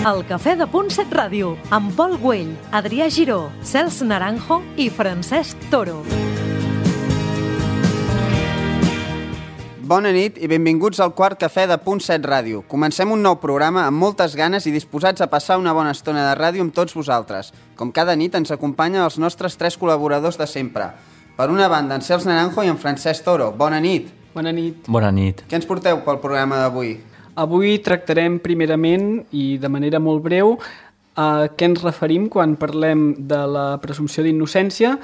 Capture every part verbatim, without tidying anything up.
El Cafè de Punt set Ràdio, amb Pol Güell, Adrià Giró, Cels Naranjo i Francesc Toro. Bona nit i benvinguts al quart Cafè de Punt set Ràdio. Comencem un nou programa amb moltes ganes i disposats a passar una bona estona de ràdio amb tots vosaltres. Com cada nit ens acompanyen els nostres tres col·laboradors de sempre. Per una banda, en Cels Naranjo i en Francesc Toro. Bona nit. Bona nit. Bona nit. Què ens porteu pel programa d'avui? Avui tractarem primerament i de manera molt breu a què ens referim quan parlem de la presumpció d'innocència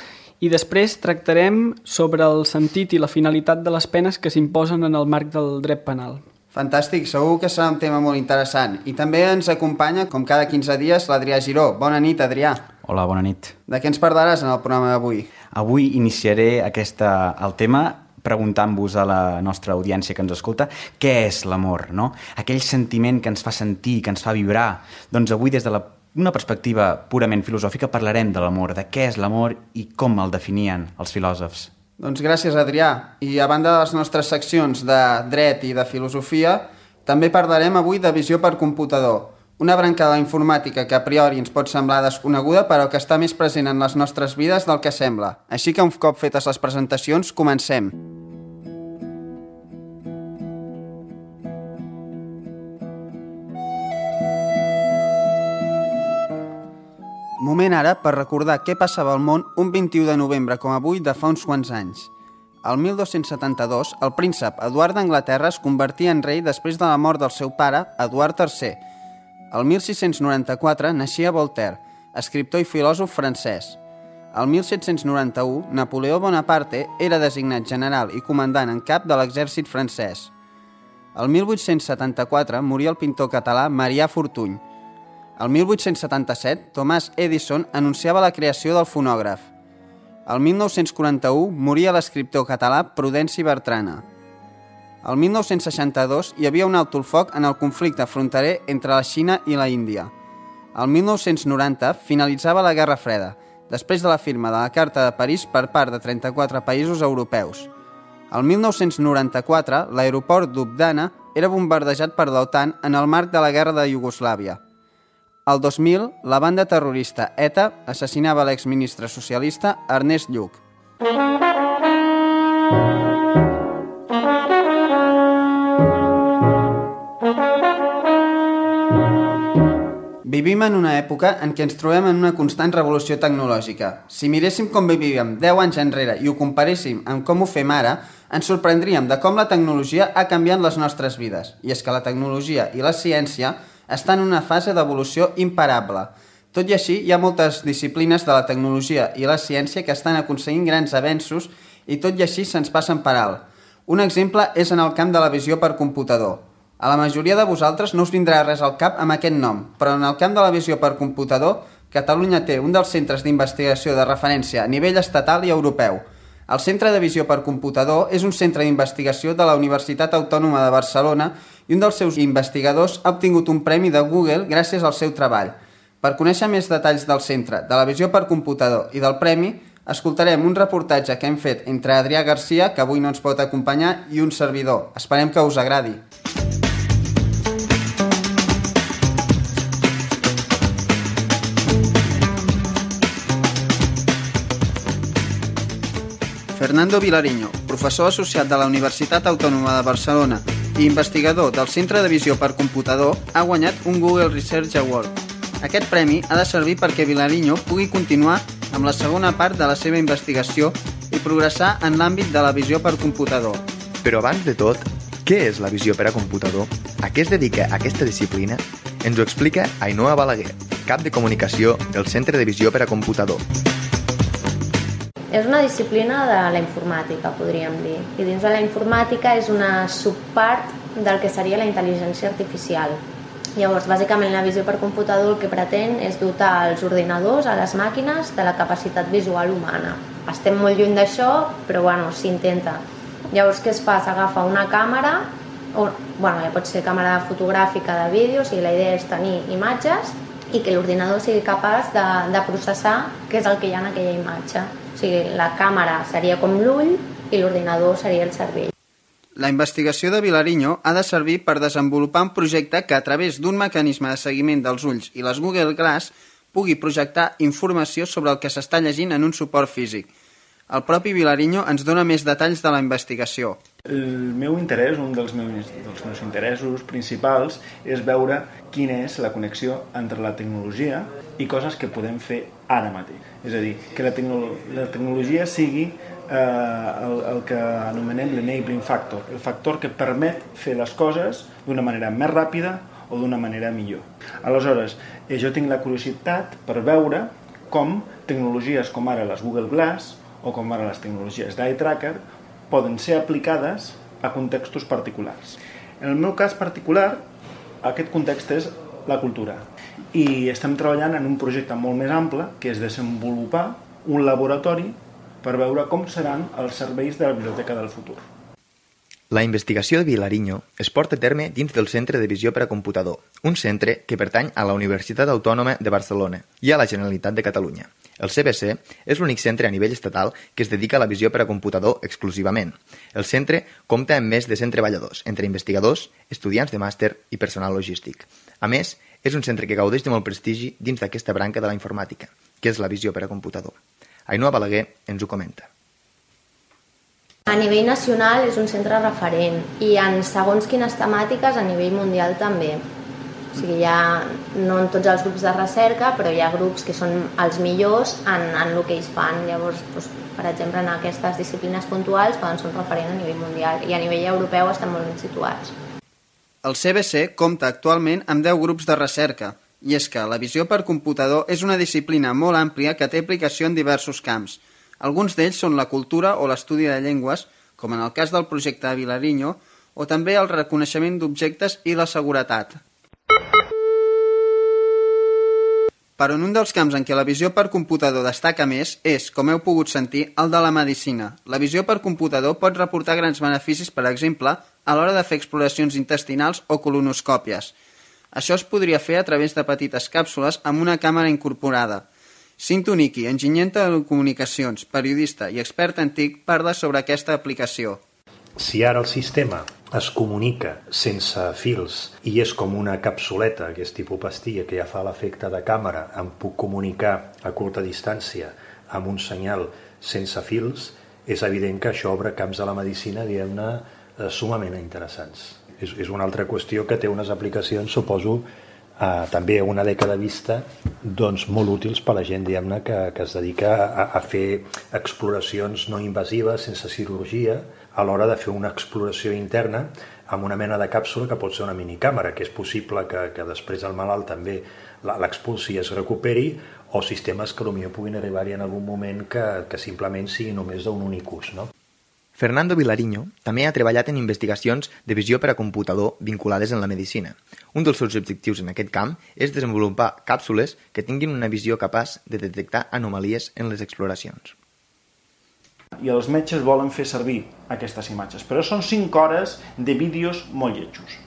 i després tractarem sobre el sentit i la finalitat de les penes que s'imposen en el marc del dret penal. Fantàstic, segur que serà un tema molt interessant. I també ens acompanya, com cada quinze dies, l'Adrià Giró. Bona nit, Adrià. Hola, bona nit. De què ens parlaràs en el programa d'avui? Avui iniciaré aquesta, el tema preguntant-vos a la nostra audiència que ens escolta què és l'amor, no? Aquell sentiment que ens fa sentir, que ens fa vibrar. Doncs avui, des de la, una perspectiva purament filosòfica, parlarem de l'amor, de què és l'amor i com el definien els filòsofs. Doncs gràcies, Adrià. I a banda de les nostres seccions de dret i de filosofia, també parlarem avui de visió per computador, una branca de la informàtica que a priori ens pot semblar desconeguda però que està més present en les nostres vides del que sembla. Així que un cop fetes les presentacions, comencem. Moment ara per recordar què passava al món un vint-i-u de novembre com avui de fa uns quants anys. El mil dos-cents setanta-dos, el príncep Eduard d'Anglaterra es convertia en rei després de la mort del seu pare, Eduard tercer. El mil sis-cents noranta-quatre naixia Voltaire, escriptor i filòsof francès. El mil set-cents noranta-u, Napoleó Bonaparte era designat general i comandant en cap de l'exèrcit francès. El mil vuit-cents setanta-quatre moria el pintor català Marià Fortuny. El mil vuit-cents setanta-set, Thomas Edison anunciava la creació del fonògraf. El mil nou-cents quaranta-u moria l'escriptor català Prudenci Bertrana. El mil nou-cents seixanta-dos hi havia un alto el foc en el conflicte fronterer entre la Xina i la Índia. El mil nou-cents noranta finalitzava la Guerra Freda, després de la firma de la Carta de París per part de trenta-quatre països europeus. El mil nou-cents noranta-quatre, l'aeroport d'Ubdana era bombardejat per l'OTAN en el marc de la Guerra de Iugoslàvia. El dos mil, la banda terrorista ETA assassinava l'exministre socialista Ernest Lluch. Vivim en una època en què ens trobem en una constant revolució tecnològica. Si miréssim com vivíem deu anys enrere i ho comparéssim amb com ho fem ara, ens sorprendríem de com la tecnologia ha canviat les nostres vides. I és que la tecnologia i la ciència està en una fase d'evolució imparable. Tot i així, hi ha moltes disciplines de la tecnologia i la ciència que estan aconseguint grans avenços i tot i així se'ns passen per alt. Un exemple és en el camp de la visió per computador. A la majoria de vosaltres no us vindrà res al cap amb aquest nom, però en el camp de la visió per computador, Catalunya té un dels centres d'investigació de referència a nivell estatal i europeu. El Centre de Visió per Computador és un centre d'investigació de la Universitat Autònoma de Barcelona i un dels seus investigadors ha obtingut un premi de Google gràcies al seu treball. Per conèixer més detalls del centre, de la visió per computador i del premi, escoltarem un reportatge que hem fet entre Adrià Garcia, que avui no ens pot acompanyar, i un servidor. Esperem que us agradi. Fernando Vilariño, professor associat de la Universitat Autònoma de Barcelona i investigador del Centre de Visió per Computador, ha guanyat un Google Research Award. Aquest premi ha de servir perquè Vilariño pugui continuar amb la segona part de la seva investigació i progressar en l'àmbit de la visió per computador. Però abans de tot, què és la visió per a computador? A què es dedica aquesta disciplina? Ens ho explica Ainhoa Balaguer, cap de comunicació del Centre de Visió per a Computador. És una disciplina de la informàtica, podríem dir. I dins de la informàtica és una subpart del que seria la intel·ligència artificial. Llavors, bàsicament, la visió per computador el que pretén és dotar els ordinadors, a les màquines, de la capacitat visual humana. Estem molt lluny d'això, però bueno, s'intenta. Llavors, què es fa? S'agafa una càmera, o, bueno, ja pot ser càmera fotogràfica de vídeo, o sigui, la idea és tenir imatges i que l'ordinador sigui capaç de, de processar què és el que hi ha en aquella imatge. O sigui, la càmera seria com l'ull i l'ordinador seria el cervell. La investigació de Vilariño ha de servir per desenvolupar un projecte que, a través d'un mecanisme de seguiment dels ulls i les Google Glass, pugui projectar informació sobre el que s'està llegint en un suport físic. El propi Vilariño ens dona més detalls de la investigació. El meu interès, un dels meus, dels meus interessos principals, és veure quina és la connexió entre la tecnologia i coses que podem fer ara mateix. És a dir, que la, tecno la tecnologia sigui eh, el, el que anomenem l'enabling factor, el factor que permet fer les coses d'una manera més ràpida o d'una manera millor. Aleshores, eh, jo tinc la curiositat per veure com tecnologies com ara les Google Glass o com ara les tecnologies d'eye tracker poden ser aplicades a contextos particulars. En el meu cas particular, aquest context és la cultura. I estem treballant en un projecte molt més ample, que és desenvolupar un laboratori per veure com seran els serveis de la biblioteca del futur. La investigació de Vilariño es porta a terme dins del Centre de Visió per a Computador, un centre que pertany a la Universitat Autònoma de Barcelona i a la Generalitat de Catalunya. El C B C és l'únic centre a nivell estatal que es dedica a la visió per a computador exclusivament. El centre compta amb més de cent treballadors, entre investigadors, estudiants de màster i personal logístic. A més, és un centre que gaudeix de molt prestigi dins d'aquesta branca de la informàtica, que és la visió per a computador. Ainhoa Balaguer ens ho comenta. A nivell nacional és un centre referent i en segons quines temàtiques a nivell mundial també. O sigui, hi ha, no en tots els grups de recerca, però hi ha grups que són els millors en, en el que ells fan. Llavors, doncs, per exemple, en aquestes disciplines puntuals poden ser un referent a nivell mundial i a nivell europeu estan molt ben situats. El C B C compta actualment amb deu grups de recerca, i és que la visió per computador és una disciplina molt àmplia que té aplicació en diversos camps. Alguns d'ells són la cultura o l'estudi de llengües, com en el cas del projecte de Vilariño, o també el reconeixement d'objectes i la seguretat. Però en un dels camps en què la visió per computador destaca més és, com heu pogut sentir, el de la medicina. La visió per computador pot reportar grans beneficis, per exemple, a l'hora de fer exploracions intestinals o colonoscòpies. Això es podria fer a través de petites càpsules amb una càmera incorporada. Cinto Niki, enginyer en telecomunicacions, periodista i expert en T I C, parla sobre aquesta aplicació. Si ara el sistema es comunica sense fils i és com una capsuleta, que és tipus pastilla, que ja fa l'efecte de càmera, em puc comunicar a curta distància amb un senyal sense fils, és evident que això obre camps de la medicina, diguem-ne, sumament interessants. És, és una altra qüestió que té unes aplicacions, suposo, eh, també a una dècada vista, doncs molt útils per a la gent, diguem-ne, que, que es dedica a, a fer exploracions no invasives, sense cirurgia, a l'hora de fer una exploració interna amb una mena de càpsula que pot ser una minicàmera, que és possible que, que després el malalt també l'expulsi i es recuperi, o sistemes que potser puguin arribar-hi en algun moment que, que simplement sigui només d'un únic ús, no? Fernando Vilariño també ha treballat en investigacions de visió per a computador vinculades en la medicina. Un dels seus objectius en aquest camp és desenvolupar càpsules que tinguin una visió capaç de detectar anomalies en les exploracions. I els metges volen fer servir aquestes imatges, però són cinc hores de vídeos molt lletjos.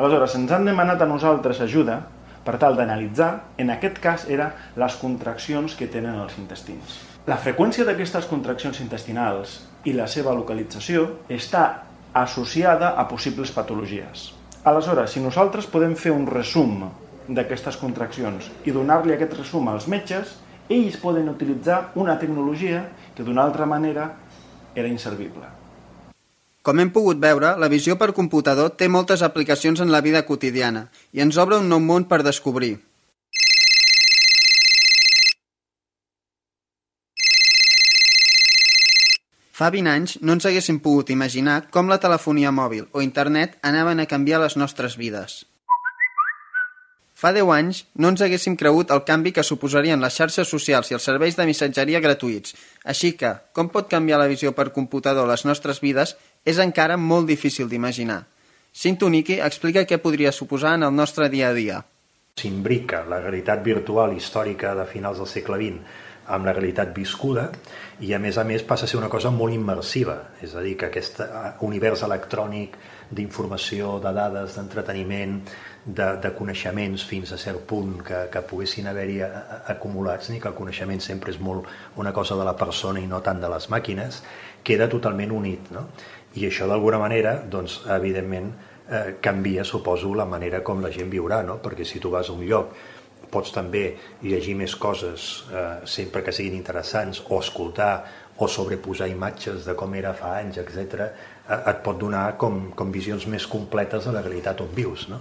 Aleshores, ens han demanat a nosaltres ajuda per tal d'analitzar, en aquest cas, era les contraccions que tenen els intestins. La freqüència d'aquestes contraccions intestinals i la seva localització està associada a possibles patologies. Aleshores, si nosaltres podem fer un resum d'aquestes contraccions i donar-li aquest resum als metges, ells poden utilitzar una tecnologia que d'una altra manera era inservible. Com hem pogut veure, la visió per computador té moltes aplicacions en la vida quotidiana i ens obre un nou món per descobrir. Fa vint anys no ens haguéssim pogut imaginar com la telefonia mòbil o internet anaven a canviar les nostres vides. Fa deu anys no ens haguéssim cregut el canvi que suposarien les xarxes socials i els serveis de missatgeria gratuïts. Així que, com pot canviar la visió per computador les nostres vides és encara molt difícil d'imaginar. Cinto Niki explica què podria suposar en el nostre dia a dia. S'imbrica la realitat virtual històrica de finals del segle vint amb la realitat viscuda i, a més a més, passa a ser una cosa molt immersiva. És a dir, que aquest univers electrònic d'informació, de dades, d'entreteniment, de, de coneixements fins a cert punt que, que poguessin haver-hi acumulats, ni que el coneixement sempre és molt una cosa de la persona i no tant de les màquines, queda totalment unit, no? I això d'alguna manera, doncs, evidentment, eh, canvia, suposo, la manera com la gent viurà, no? Perquè si tu vas a un lloc pots també llegir més coses eh, sempre que siguin interessants, o escoltar o sobreposar imatges de com era fa anys, etcètera, eh, et pot donar com, com visions més completes de la realitat on vius, no?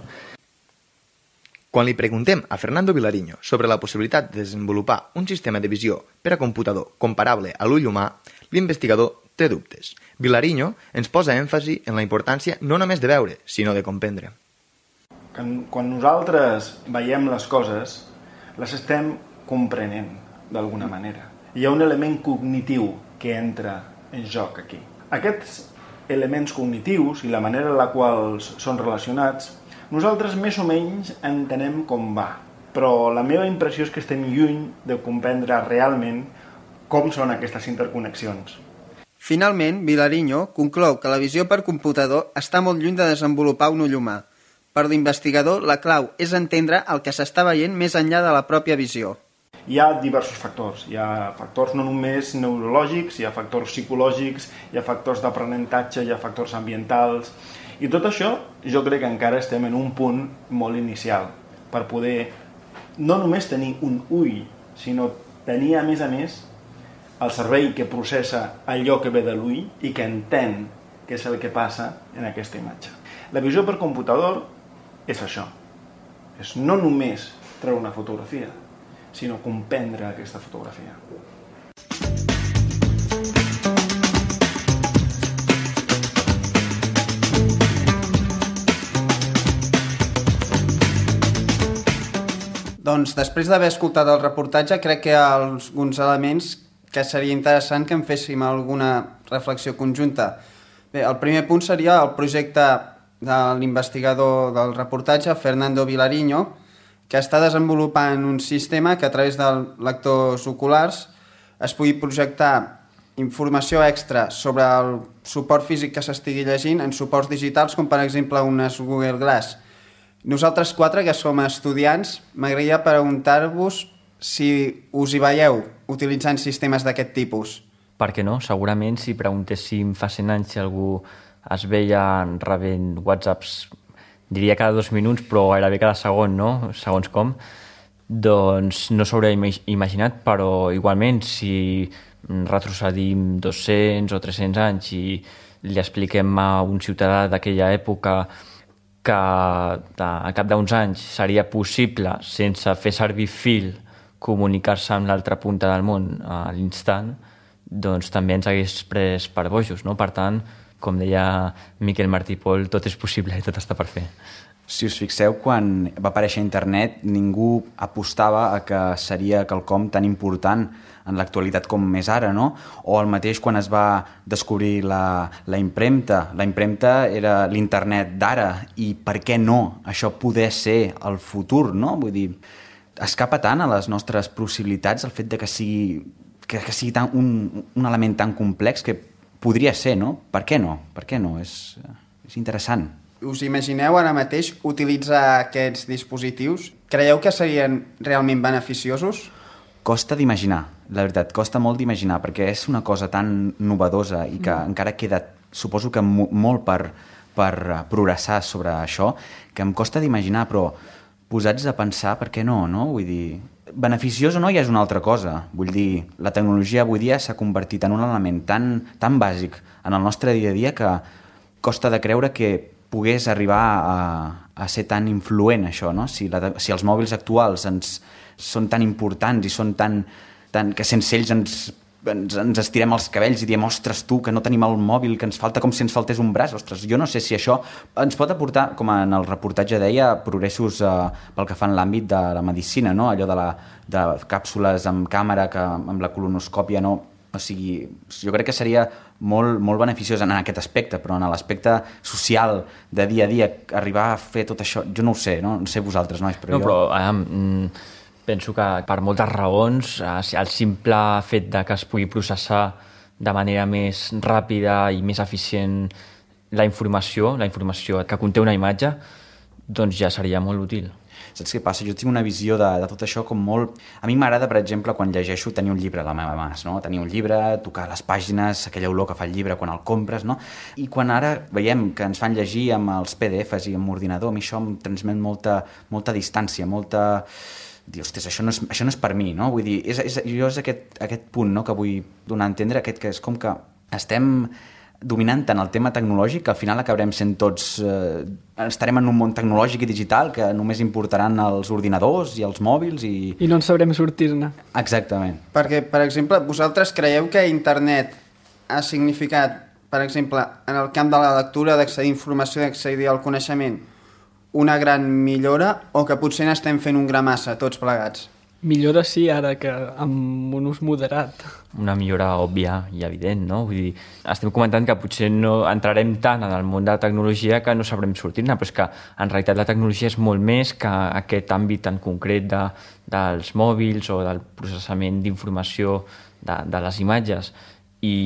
Quan li preguntem a Fernando Vilariño sobre la possibilitat de desenvolupar un sistema de visió per a computador comparable a l'ull humà, l'investigador té dubtes. Vilariño ens posa èmfasi en la importància no només de veure, sinó de comprendre. Quan nosaltres veiem les coses, les estem comprenent d'alguna manera. Hi ha un element cognitiu que entra en joc aquí. Aquests elements cognitius i la manera en la qual són relacionats, nosaltres més o menys entenem com va, però la meva impressió és que estem lluny de comprendre realment com són aquestes interconnexions. Finalment, Vilariño conclou que la visió per computador està molt lluny de desenvolupar un ull humà. Per l'investigador, la clau és entendre el que s'està veient més enllà de la pròpia visió. Hi ha diversos factors. Hi ha factors no només neurològics, hi ha factors psicològics, hi ha factors d'aprenentatge, hi ha factors ambientals. I tot això jo crec que encara estem en un punt molt inicial per poder no només tenir un ull, sinó tenir a més a més el cervell que processa allò que ve de l'ull i que entén què és el que passa en aquesta imatge. La visió per computador és això, és no només treure una fotografia, sinó comprendre aquesta fotografia. Doncs després d'haver escoltat el reportatge, crec que hi ha alguns elements que seria interessant que en féssim alguna reflexió conjunta. Bé, el primer punt seria el projecte de l'investigador del reportatge, Fernando Vilariño, que està desenvolupant un sistema que a través de lectors oculars es pugui projectar informació extra sobre el suport físic que s'estigui llegint en suports digitals, com per exemple unes Google Glass. Nosaltres quatre, que som estudiants, m'agradaria preguntar-vos si us hi veieu utilitzant sistemes d'aquest tipus. Per què no? Segurament si preguntéssim fa cent anys si algú es veia rebent whatsapps, diria cada dos minuts, però gairebé cada segon, no? Segons com. Doncs no s'hauria imaginat, però igualment si retrocedim dos-cents o tres-cents anys i li expliquem a un ciutadà d'aquella època que al cap d'uns anys seria possible, sense fer servir fil, comunicar-se amb l'altra punta del món a l'instant, doncs també ens hagués pres per bojos, no? Per tant, com deia Miquel Martí i Pol, tot és possible i tot està per fer. Si us fixeu, quan va aparèixer internet, ningú apostava a que seria quelcom tan important en l'actualitat com és ara, no? O el mateix quan es va descobrir la, la impremta. La impremta era l'internet d'ara, i per què no? Això poder ser el futur, no? Vull dir, escapa tant a les nostres possibilitats el fet de que sigui, que, que sigui tan, un, un element tan complex que podria ser, no? Per què no? Per què no? És, és interessant. Us imagineu ara mateix utilitzar aquests dispositius? Creieu que serien realment beneficiosos? Costa d'imaginar, la veritat, costa molt d'imaginar, perquè és una cosa tan novedosa i que mm. encara queda, suposo que molt per, per progressar sobre això, que em costa d'imaginar, però posats a pensar, per què no, no? Vull dir, beneficiós o no ja és una altra cosa. Vull dir, la tecnologia avui dia s'ha convertit en un element tan, tan bàsic en el nostre dia a dia que costa de creure que pogués arribar a, a ser tan influent això, no? Si, la, si els mòbils actuals ens, són tan importants i són tan, tan que sense ells ens, ens, ens estirem els cabells i diem, ostres, tu, que no tenim el mòbil, que ens falta com si ens faltés un braç, ostres, jo no sé si això ens pot aportar, com en el reportatge deia, progressos eh, pel que fa en l'àmbit de la medicina, no? Allò de, la, de càpsules amb càmera, que amb la colonoscòpia no... O sigui, jo crec que seria molt, molt beneficiós en aquest aspecte, però en l'aspecte social de dia a dia, arribar a fer tot això, jo no ho sé, no, no sé vosaltres, nois, però no, jo... Però, um, penso que per moltes raons, el simple fet de que es pugui processar de manera més ràpida i més eficient la informació, la informació que conté una imatge, doncs ja seria molt útil. Saps què passa? Jo tinc una visió de, de tot això com molt... A mi m'agrada, per exemple, quan llegeixo, tenir un llibre a la meva mà, no? Tenir un llibre, tocar les pàgines, aquella olor que fa el llibre quan el compres, no? I quan ara veiem que ens fan llegir amb els P D Fs i amb l'ordinador, a mi això em transmet molta, molta distància, molta... Dir, ostres, això no és, això no és per mi, no? Vull dir, és, és, jo és aquest, aquest punt, no?, que vull donar a entendre, aquest que és com que estem dominant tant el tema tecnològic que al final acabarem sent tots... Eh, estarem en un món tecnològic i digital que només importaran els ordinadors i els mòbils i... I no en sabrem sortir-ne. Exactament. Perquè, per exemple, vosaltres creieu que internet ha significat, per exemple, en el camp de la lectura, d'accedir a informació, d'accedir al coneixement, una gran millora o que potser n'estem fent un gra massa, tots plegats? Millora sí, ara que amb un ús moderat. Una millora òbvia i evident, no? Vull dir, estem comentant que potser no entrarem tant en el món de la tecnologia que no sabrem sortir-ne, però és que en realitat la tecnologia és molt més que aquest àmbit tan concret de, dels mòbils o del processament d'informació de, de les imatges. I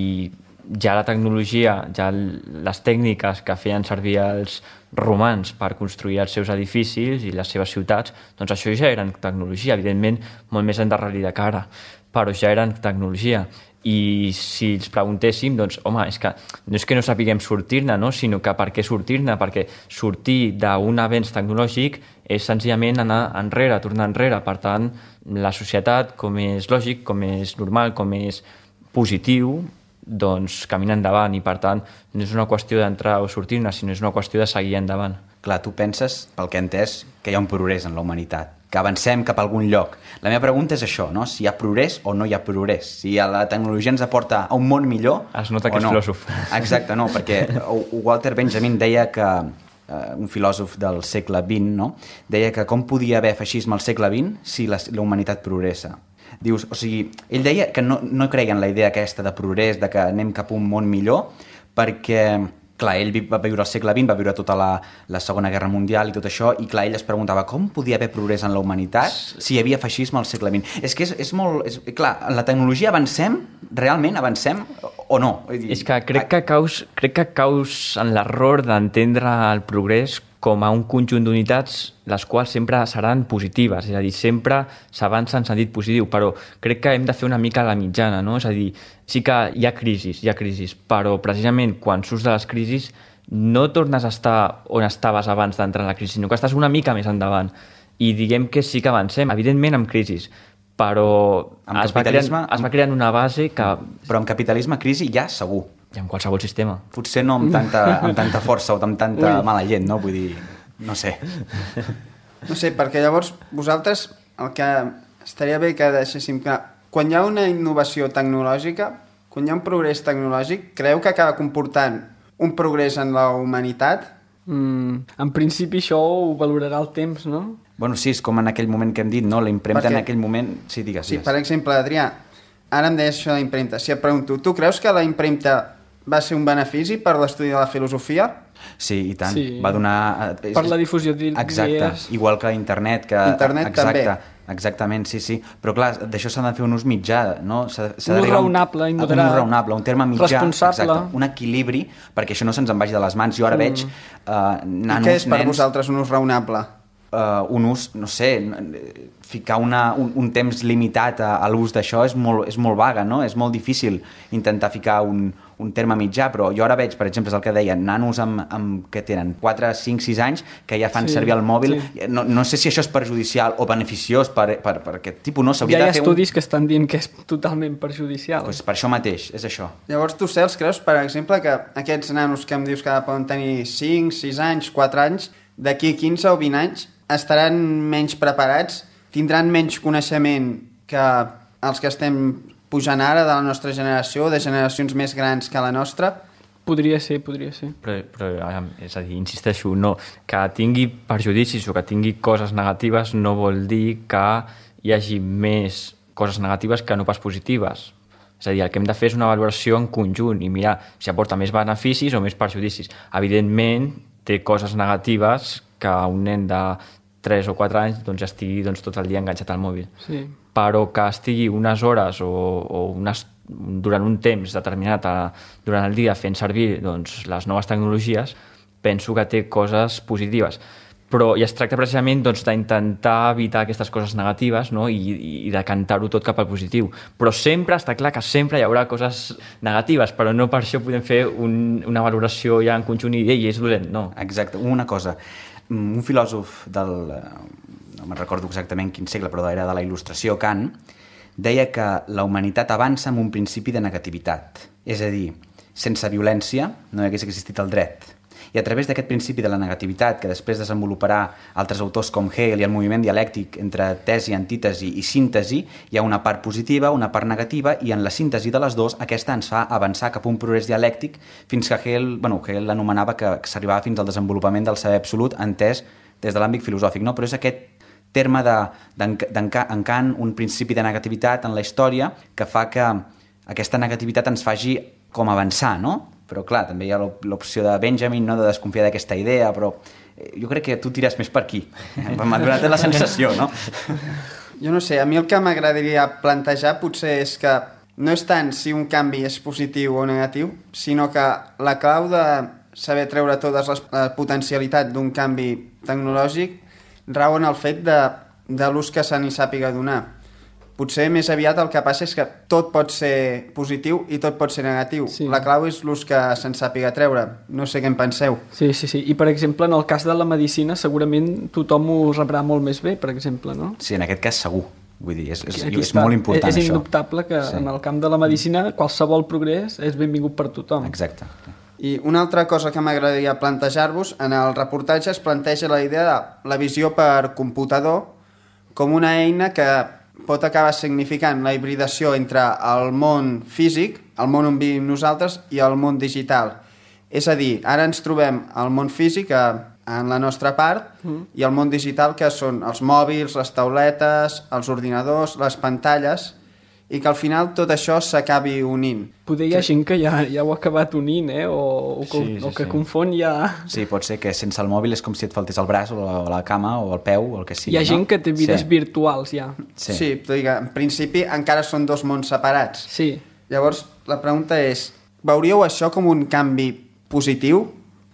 ja la tecnologia, ja les tècniques que feien servir els romans per construir els seus edificis i les seves ciutats, doncs això ja eren tecnologia, evidentment molt més endarrerida que ara, però ja eren tecnologia. I si els preguntéssim, doncs, home, és que no és que no sapiguem sortir-ne, no? Sinó que per què sortir-ne? Perquè sortir d'un avenç tecnològic és senzillament anar enrere, tornar enrere. Per tant, la societat, com és lògic, com és normal, com és positiu, doncs camina endavant i per tant no és una qüestió d'entrar o sortir-ne, sinó és una qüestió de seguir endavant. Clar, tu penses, pel que he entès, que hi ha un progrés en la humanitat, que avancem cap a algun lloc. La meva pregunta és això, no? Si hi ha progrés o no hi ha progrés, si la tecnologia ens aporta a un món millor es nota que o és no. filòsof. Exacte, no, perquè Walter Benjamin deia que Uh, un filòsof del segle vint, no? Deia que com podia haver feixisme al segle vint si la, la humanitat progressa. Dius, o sigui, ell deia que no, no creia en la idea aquesta de progrés, de que anem cap a un món millor, perquè, clar, ell va viure al segle vint, va viure tota la, la Segona Guerra Mundial i tot això, i clar, ell es preguntava com podia haver progrés en la humanitat si hi havia feixisme al segle vint. És que és, és molt... És, clar, en la tecnologia avancem, realment avancem o no? És que crec que caus, crec que caus en l'error d'entendre el progrés com a un conjunt d'unitats les quals sempre seran positives, és a dir, sempre s'avança en sentit positiu, però crec que hem de fer una mica la mitjana, no? És a dir, sí que hi ha crisis, hi ha crisis, però precisament quan surts de les crisis no tornes a estar on estaves abans d'entrar en la crisi, sinó que estàs una mica més endavant. I diguem que sí que avancem, evidentment amb crisis, però es va, creant, es va creant una base que... Però amb capitalisme crisi ja segur. I en qualsevol sistema. Potser no amb tanta, amb tanta força o amb tanta Ui. mala gent, no? Vull dir, no sé. No sé, perquè llavors vosaltres el que estaria bé que deixéssim clar, quan hi ha una innovació tecnològica, quan hi ha un progrés tecnològic, creu que acaba comportant un progrés en la humanitat? Mm, en principi això ho valorarà el temps, no? Bueno, sí, és com en aquell moment que hem dit, no? La impremta perquè... en aquell moment... Sí, digues, sí, digues. Per exemple, Adrià, ara em deies això de la impremta. Si et pregunto, tu creus que la impremta va ser un benefici per l'estudi de la filosofia? Sí, i tant. Sí. Va donar... Per la difusió d'idees. Exacte, igual que internet. Que... Internet Exacte. també. Exactament, sí, sí. Però clar, d'això s'ha de fer un ús mitjà, no? Un ús raonable i moderat. Un ús raonable, un terme mitjà. Responsable. Exacte, un equilibri, perquè això no se'ns en vagi de les mans. Jo ara mm. veig uh, nanos, I què és per nens... vosaltres un ús raonable? Uh, un ús, no sé, ficar una, un, un temps limitat a, a l'ús d'això és molt, és molt vaga, no? És molt difícil intentar ficar un, un terme mitjà, però jo ara veig, per exemple, és el que deien, nanos amb, amb que tenen quatre, cinc, sis anys, que ja fan sí, servir el mòbil. Sí. No, no sé si això és perjudicial o beneficiós per, per, per aquest tipus, no? Ja hi ha de fer estudis un... que estan dient que és totalment perjudicial. Pues per això mateix, és això. Llavors tu, Cels, creus, per exemple, que aquests nanos que em dius que poden tenir cinc, sis anys, quatre anys, d'aquí quinze o vint anys, estaran menys preparats, tindran menys coneixement que els que estem pujant ara de la nostra generació, de generacions més grans que la nostra? Podria ser, podria ser. Però, però és a dir, insisteixo, no, que tingui perjudicis o que tingui coses negatives no vol dir que hi hagi més coses negatives que no pas positives. És a dir, el que hem de fer és una valoració en conjunt i mirar si aporta més beneficis o més perjudicis. Evidentment, té coses negatives que un nen de tres o quatre anys doncs, estigui doncs, tot el dia enganxat al mòbil. Sí. Però que estigui unes hores o, o unes, durant un temps determinat a, durant el dia fent servir doncs, les noves tecnologies, penso que té coses positives. però i es tracta precisament doncs, d'intentar evitar aquestes coses negatives, no? I, i de cantar-ho tot cap al positiu. Però sempre està clar que sempre hi haurà coses negatives, però no per això podem fer un, una valoració ja en conjunt i ei, és dolent, no. Exacte. Una cosa, un filòsof del... no me'n recordo exactament quin segle, però era de la Il·lustració, Kant, deia que la humanitat avança amb un principi de negativitat. És a dir, sense violència no hi hagués existit el dret. I a través d'aquest principi de la negativitat, que després desenvoluparà altres autors com Hegel i el moviment dialèctic entre tesi, antítesi i síntesi, hi ha una part positiva, una part negativa, i en la síntesi de les dues aquesta ens fa avançar cap a un progrés dialèctic fins que Hegel, bueno, Hegel l'anomenava que, que s'arribava fins al desenvolupament del saber absolut entès des de l'àmbit filosòfic, no? Però és aquest terme de, de, en Kant, un principi de negativitat en la història que fa que aquesta negativitat ens faci com avançar, no? Però clar, també hi ha l'opció de Benjamin, no?, de desconfiar d'aquesta idea, però jo crec que tu tires més per aquí. M'ha donat la sensació, no? Jo no sé, a mi el que m'agradaria plantejar potser és que no és tant si un canvi és positiu o negatiu, sinó que la clau de saber treure totes les la potencialitat d'un canvi tecnològic rau en el fet de, de l'ús que se n'hi sàpiga donar. Potser més aviat el que passa és que tot pot ser positiu i tot pot ser negatiu. Sí. La clau és l'ús que se'n sàpiga treure. No sé què en penseu. Sí, sí, sí. I, per exemple, en el cas de la medicina, segurament tothom ho rebrà molt més bé, per exemple, no? Sí, en aquest cas segur. Vull dir, és, és, és està. molt important, és, és això. És indubtable que sí. En el camp de la medicina qualsevol progrés és benvingut per tothom. Exacte. I una altra cosa que m'agradaria plantejar-vos, en el reportatge es planteja la idea de la visió per computador com una eina que pot acabar significant la hibridació entre el món físic, el món on vivim nosaltres, i el món digital. És a dir, ara ens trobem al món físic a, en la nostra part mm. i el món digital, que són els mòbils, les tauletes, els ordinadors, les pantalles, i que al final tot això s'acabi unint. Poder hi ha gent que ja, ja ho ha acabat unint, eh? o, o, sí, sí, o que sí. confon ja... Sí, pot ser que sense el mòbil és com si et faltés el braç o la, o la cama o el peu o el que sigui. Hi ha no? gent que té vides sí. virtuals ja. Sí, sí digue, en principi encara són dos mons separats. Sí. Llavors, la pregunta és, veuríeu això com un canvi positiu?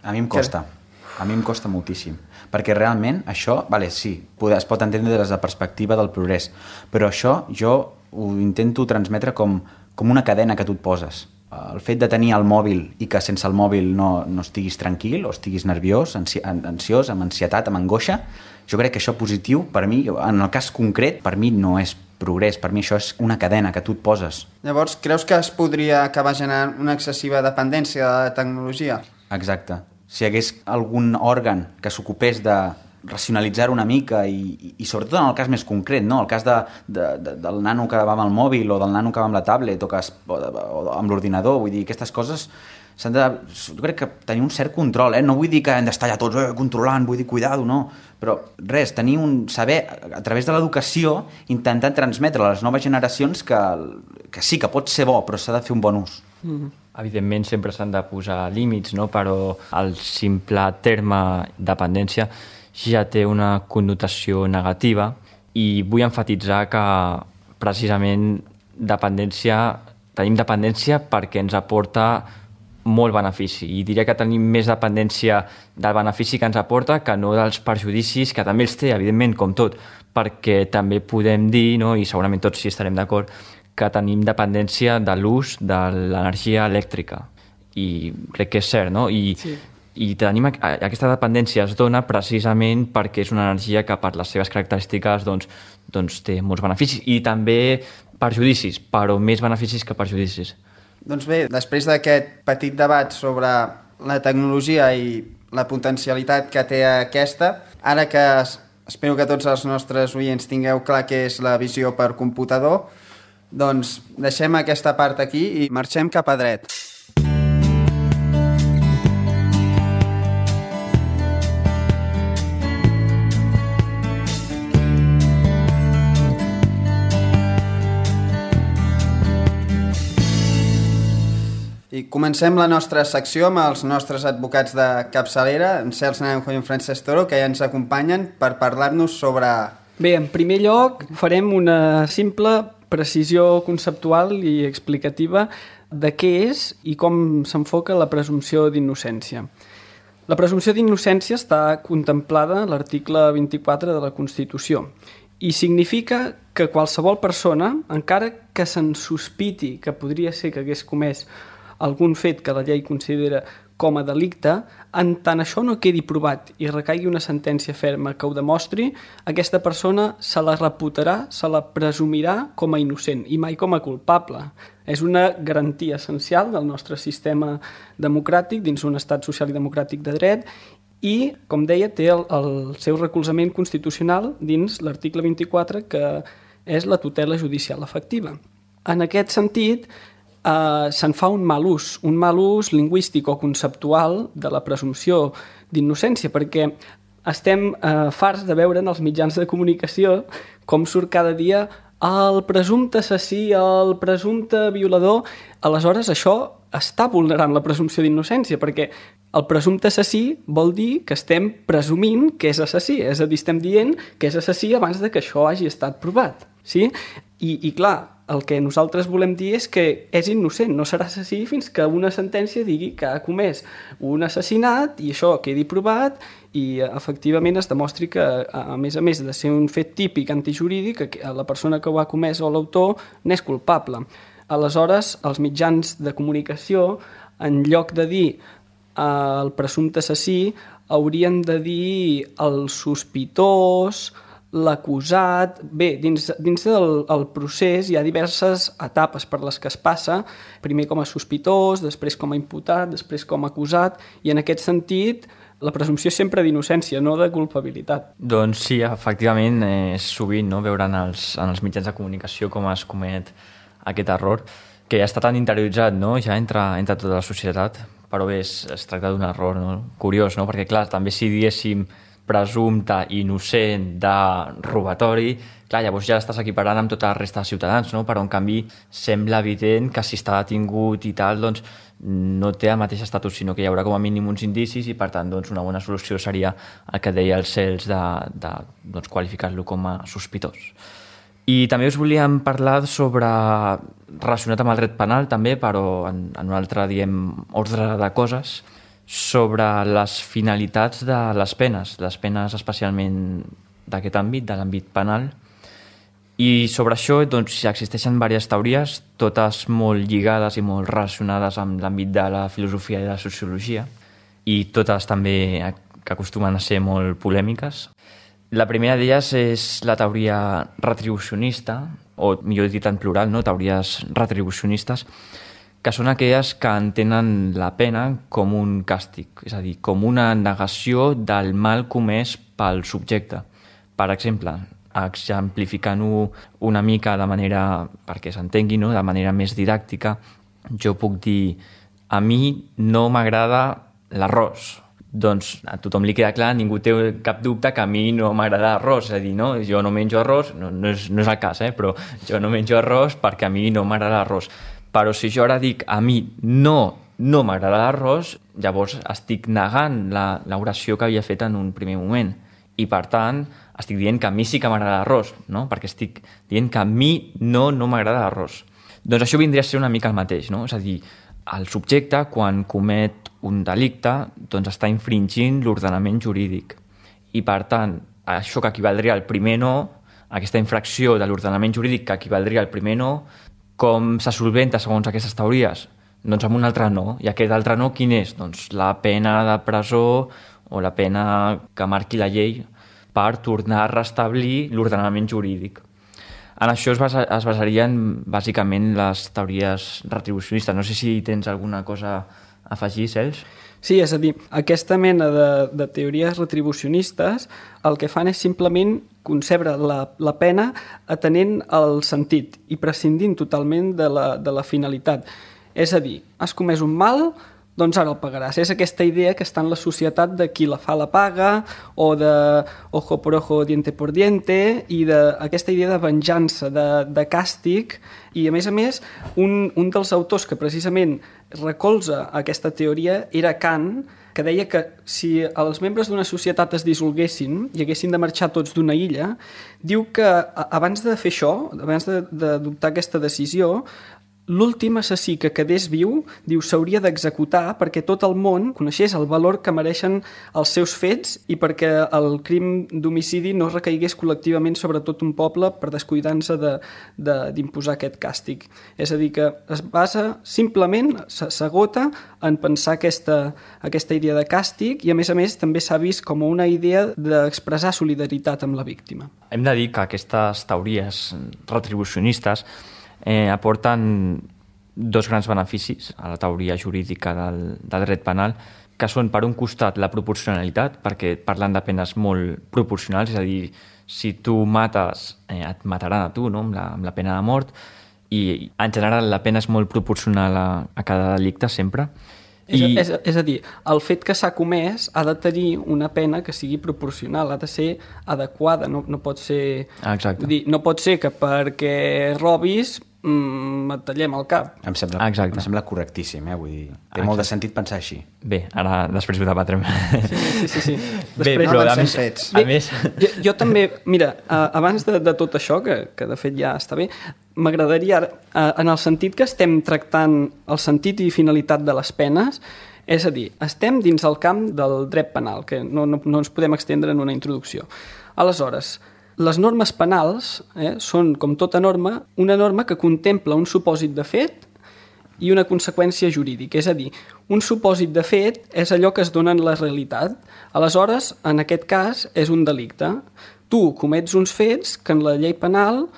A mi em costa. Que... A mi em costa moltíssim. Perquè realment això, vale, sí, es pot entendre des de la perspectiva del progrés, però això jo ho intento transmetre com, com una cadena que tu et poses. El fet de tenir el mòbil i que sense el mòbil no, no estiguis tranquil o estiguis nerviós, ansi ansiós, amb ansietat, amb angoixa, jo crec que això positiu, per mi, en el cas concret, per mi no és progrés, per mi això és una cadena que tu et poses. Llavors, creus que es podria acabar generant una excessiva dependència de la tecnologia? Exacte. Si hi hagués algun òrgan que s'ocupés de racionalitzar una mica i, i, i sobretot en el cas més concret, no? El cas de, de, de, del nano que va amb el mòbil o del nano que va amb la tablet o, que es, o, o amb l'ordinador, vull dir, aquestes coses s'han de, jo crec que tenir un cert control, eh? No vull dir que hem d'estar ja tots eh, controlant, vull dir, cuidado, no, però res, tenir un saber, a través de l'educació, intentar transmetre a les noves generacions que, que sí, que pot ser bo, però s'ha de fer un bon ús. Mm-hmm. Evidentment sempre s'han de posar límits, no? Però el simple terme dependència ja té una connotació negativa i vull enfatitzar que precisament dependència, tenim dependència perquè ens aporta molt benefici i diria que tenim més dependència del benefici que ens aporta que no dels perjudicis, que també els té, evidentment, com tot, perquè també podem dir, no? I segurament tots sí estarem d'acord, que tenim dependència de l'ús de l'energia elèctrica i crec que és cert, no? I, sí. I tenim aquesta dependència es dona precisament perquè és una energia que per les seves característiques doncs, doncs té molts beneficis i també perjudicis, però més beneficis que perjudicis. Doncs bé, després d'aquest petit debat sobre la tecnologia i la potencialitat que té aquesta, ara que espero que tots els nostres oients tingueu clar què és la visió per computador, doncs deixem aquesta part aquí i marxem cap a dret. I comencem la nostra secció amb els nostres advocats de capçalera, en Cels Naranjo i en Francesc Toro, que ja ens acompanyen per parlar-nos sobre... Bé, en primer lloc farem una simple precisió conceptual i explicativa de què és i com s'enfoca la presumpció d'innocència. La presumpció d'innocència està contemplada a l'article vint-i-quatre de la Constitució i significa que qualsevol persona, encara que se'n sospiti que podria ser que hagués comès algun fet que la llei considera com a delicte, en tant això no quedi provat i recaigui una sentència ferma que ho demostri, aquesta persona se la reputarà, se la presumirà com a innocent i mai com a culpable. És una garantia essencial del nostre sistema democràtic dins un estat social i democràtic de dret i, com deia, té el, el seu recolzament constitucional dins l'article vint-i-quatre, que és la tutela judicial efectiva. En aquest sentit, eh, se'n fa un mal ús, un mal ús lingüístic o conceptual de la presumpció d'innocència, perquè estem eh, farts de veure en els mitjans de comunicació com surt cada dia el presumpte assassí, el presumpte violador. Aleshores, això està vulnerant la presumpció d'innocència, perquè el presumpte assassí vol dir que estem presumint que és assassí, és a dir, estem dient que és assassí abans de que això hagi estat provat. Sí? I, i clar, el que nosaltres volem dir és que és innocent, no serà assassí fins que una sentència digui que ha comès un assassinat i això quedi provat i efectivament es demostri que, a més a més de ser un fet típic antijurídic, la persona que ho ha comès o l'autor n'és culpable. Aleshores, els mitjans de comunicació, en lloc de dir el presumpte assassí, haurien de dir el sospitós, l'acusat. Bé, dins, dins del el procés hi ha diverses etapes per les que es passa, primer com a sospitós, després com a imputat, després com a acusat, i en aquest sentit la presumpció és sempre d'innocència, no de culpabilitat. Doncs sí, efectivament, és sovint no, veure en els, en els mitjans de comunicació com es comet aquest error, que ja està tan interioritzat, no? Ja entre, entre tota la societat, però bé, es, es tracta d'un error, no? Curiós, no? Perquè clar, també si diéssim presumpte innocent de robatori, clar, llavors ja estàs equiparant amb tota la resta de ciutadans, no? Però en canvi sembla evident que si està detingut i tal, doncs no té el mateix estatus, sinó que hi haurà com a mínim uns indicis i per tant doncs, una bona solució seria el que deia el Cels de, de doncs, qualificar-lo com a sospitós. I també us volíem parlar sobre, relacionat amb el dret penal també, però en, en un altre, diem, ordre de coses, sobre les finalitats de les penes, les penes especialment d'aquest àmbit, de l'àmbit penal. I sobre això doncs, existeixen diverses teories, totes molt lligades i molt relacionades amb l'àmbit de la filosofia i de la sociologia, i totes també que acostumen a ser molt polèmiques. La primera d'elles és la teoria retribucionista, o millor dit en plural, no? Teories retribucionistes, que són aquelles que entenen la pena com un càstig, és a dir, com una negació del mal comès pel subjecte. Per exemple, exemplificant-ho una mica de manera, perquè s'entengui, no? De manera més didàctica, jo puc dir, a mi no m'agrada l'arròs. Doncs a tothom li queda clar, ningú té cap dubte que a mi no m'agrada l'arròs, és a dir, no? Jo no menjo arròs, no, no, és, no és el cas, eh? Però jo no menjo arròs perquè a mi no m'agrada l'arròs. Però si jo ara dic a mi no, no m'agrada l'arròs, llavors estic negant la, l'oració que havia fet en un primer moment. I per tant, estic dient que a mi sí que m'agrada l'arròs, no? Perquè estic dient que a mi no, no m'agrada l'arròs. Doncs això vindria a ser una mica el mateix, no? És a dir, el subjecte, quan comet un delicte, doncs està infringint l'ordenament jurídic. I, per tant, això que equivaldria al primer no, aquesta infracció de l'ordenament jurídic que equivaldria al primer no, com se solventa segons aquestes teories? Doncs amb un altre no. I aquest altre no, quin és? Doncs la pena de presó o la pena que marqui la llei per tornar a restablir l'ordenament jurídic. En això es, basa, es basarien bàsicament les teories retribucionistes. No sé si tens alguna cosa a afegir, Cels? Sí, és a dir, aquesta mena de, de teories retribucionistes el que fan és simplement concebre la, la pena atenent al sentit i prescindint totalment de la, de la finalitat. És a dir, has comès un mal, doncs ara el pagaràs. És aquesta idea que està en la societat de qui la fa la paga, o de ojo por ojo, diente por diente, i d'aquesta idea de venjança, de, de càstig, i a més a més, un, un dels autors que precisament recolza aquesta teoria era Kant, que deia que si els membres d'una societat es dissolguessin i haguessin de marxar tots d'una illa, diu que abans de fer això, abans d'adoptar aquesta decisió, l'últim assassí que quedés viu, diu, s'hauria d'executar perquè tot el món coneixés el valor que mereixen els seus fets i perquè el crim d'homicidi no recaigués col·lectivament sobre tot un poble per descuidar-se d'imposar aquest càstig. És a dir, que es basa simplement, s'agota en pensar aquesta, aquesta idea de càstig i, a més a més, també s'ha vist com una idea d'expressar solidaritat amb la víctima. Hem de dir que aquestes teories retribucionistes eh, aporten dos grans beneficis a la teoria jurídica del, del dret penal, que són, per un costat, la proporcionalitat, perquè parlen de penes molt proporcionals, és a dir, si tu mates, eh, et mataran a tu, no?, amb la, amb la pena de mort, i en general la pena és molt proporcional a, a cada delicte, sempre. És, I... és, és a dir, el fet que s'ha comès ha de tenir una pena que sigui proporcional, ha de ser adequada, no, no pot ser... Exacte. Dir, no pot ser que perquè robis mm, et tallem el cap. Em sembla, Exacte. em sembla correctíssim, eh? Vull dir, té Exacte. molt de sentit pensar així. Bé, ara després ho debatrem. Sí, sí, sí. sí. Bé, Després, però no a avancem més, fets. a més... Jo, jo també, mira, uh, abans de, de tot això, que, que de fet ja està bé, m'agradaria, uh, en el sentit que estem tractant el sentit i finalitat de les penes, és a dir, estem dins el camp del dret penal, que no, no, no ens podem extendre en una introducció. Aleshores, les normes penals eh, són, com tota norma, una norma que contempla un supòsit de fet i una conseqüència jurídica. És a dir, un supòsit de fet és allò que es dona en la realitat. Aleshores, en aquest cas, és un delicte. Tu comets uns fets que en la llei penal,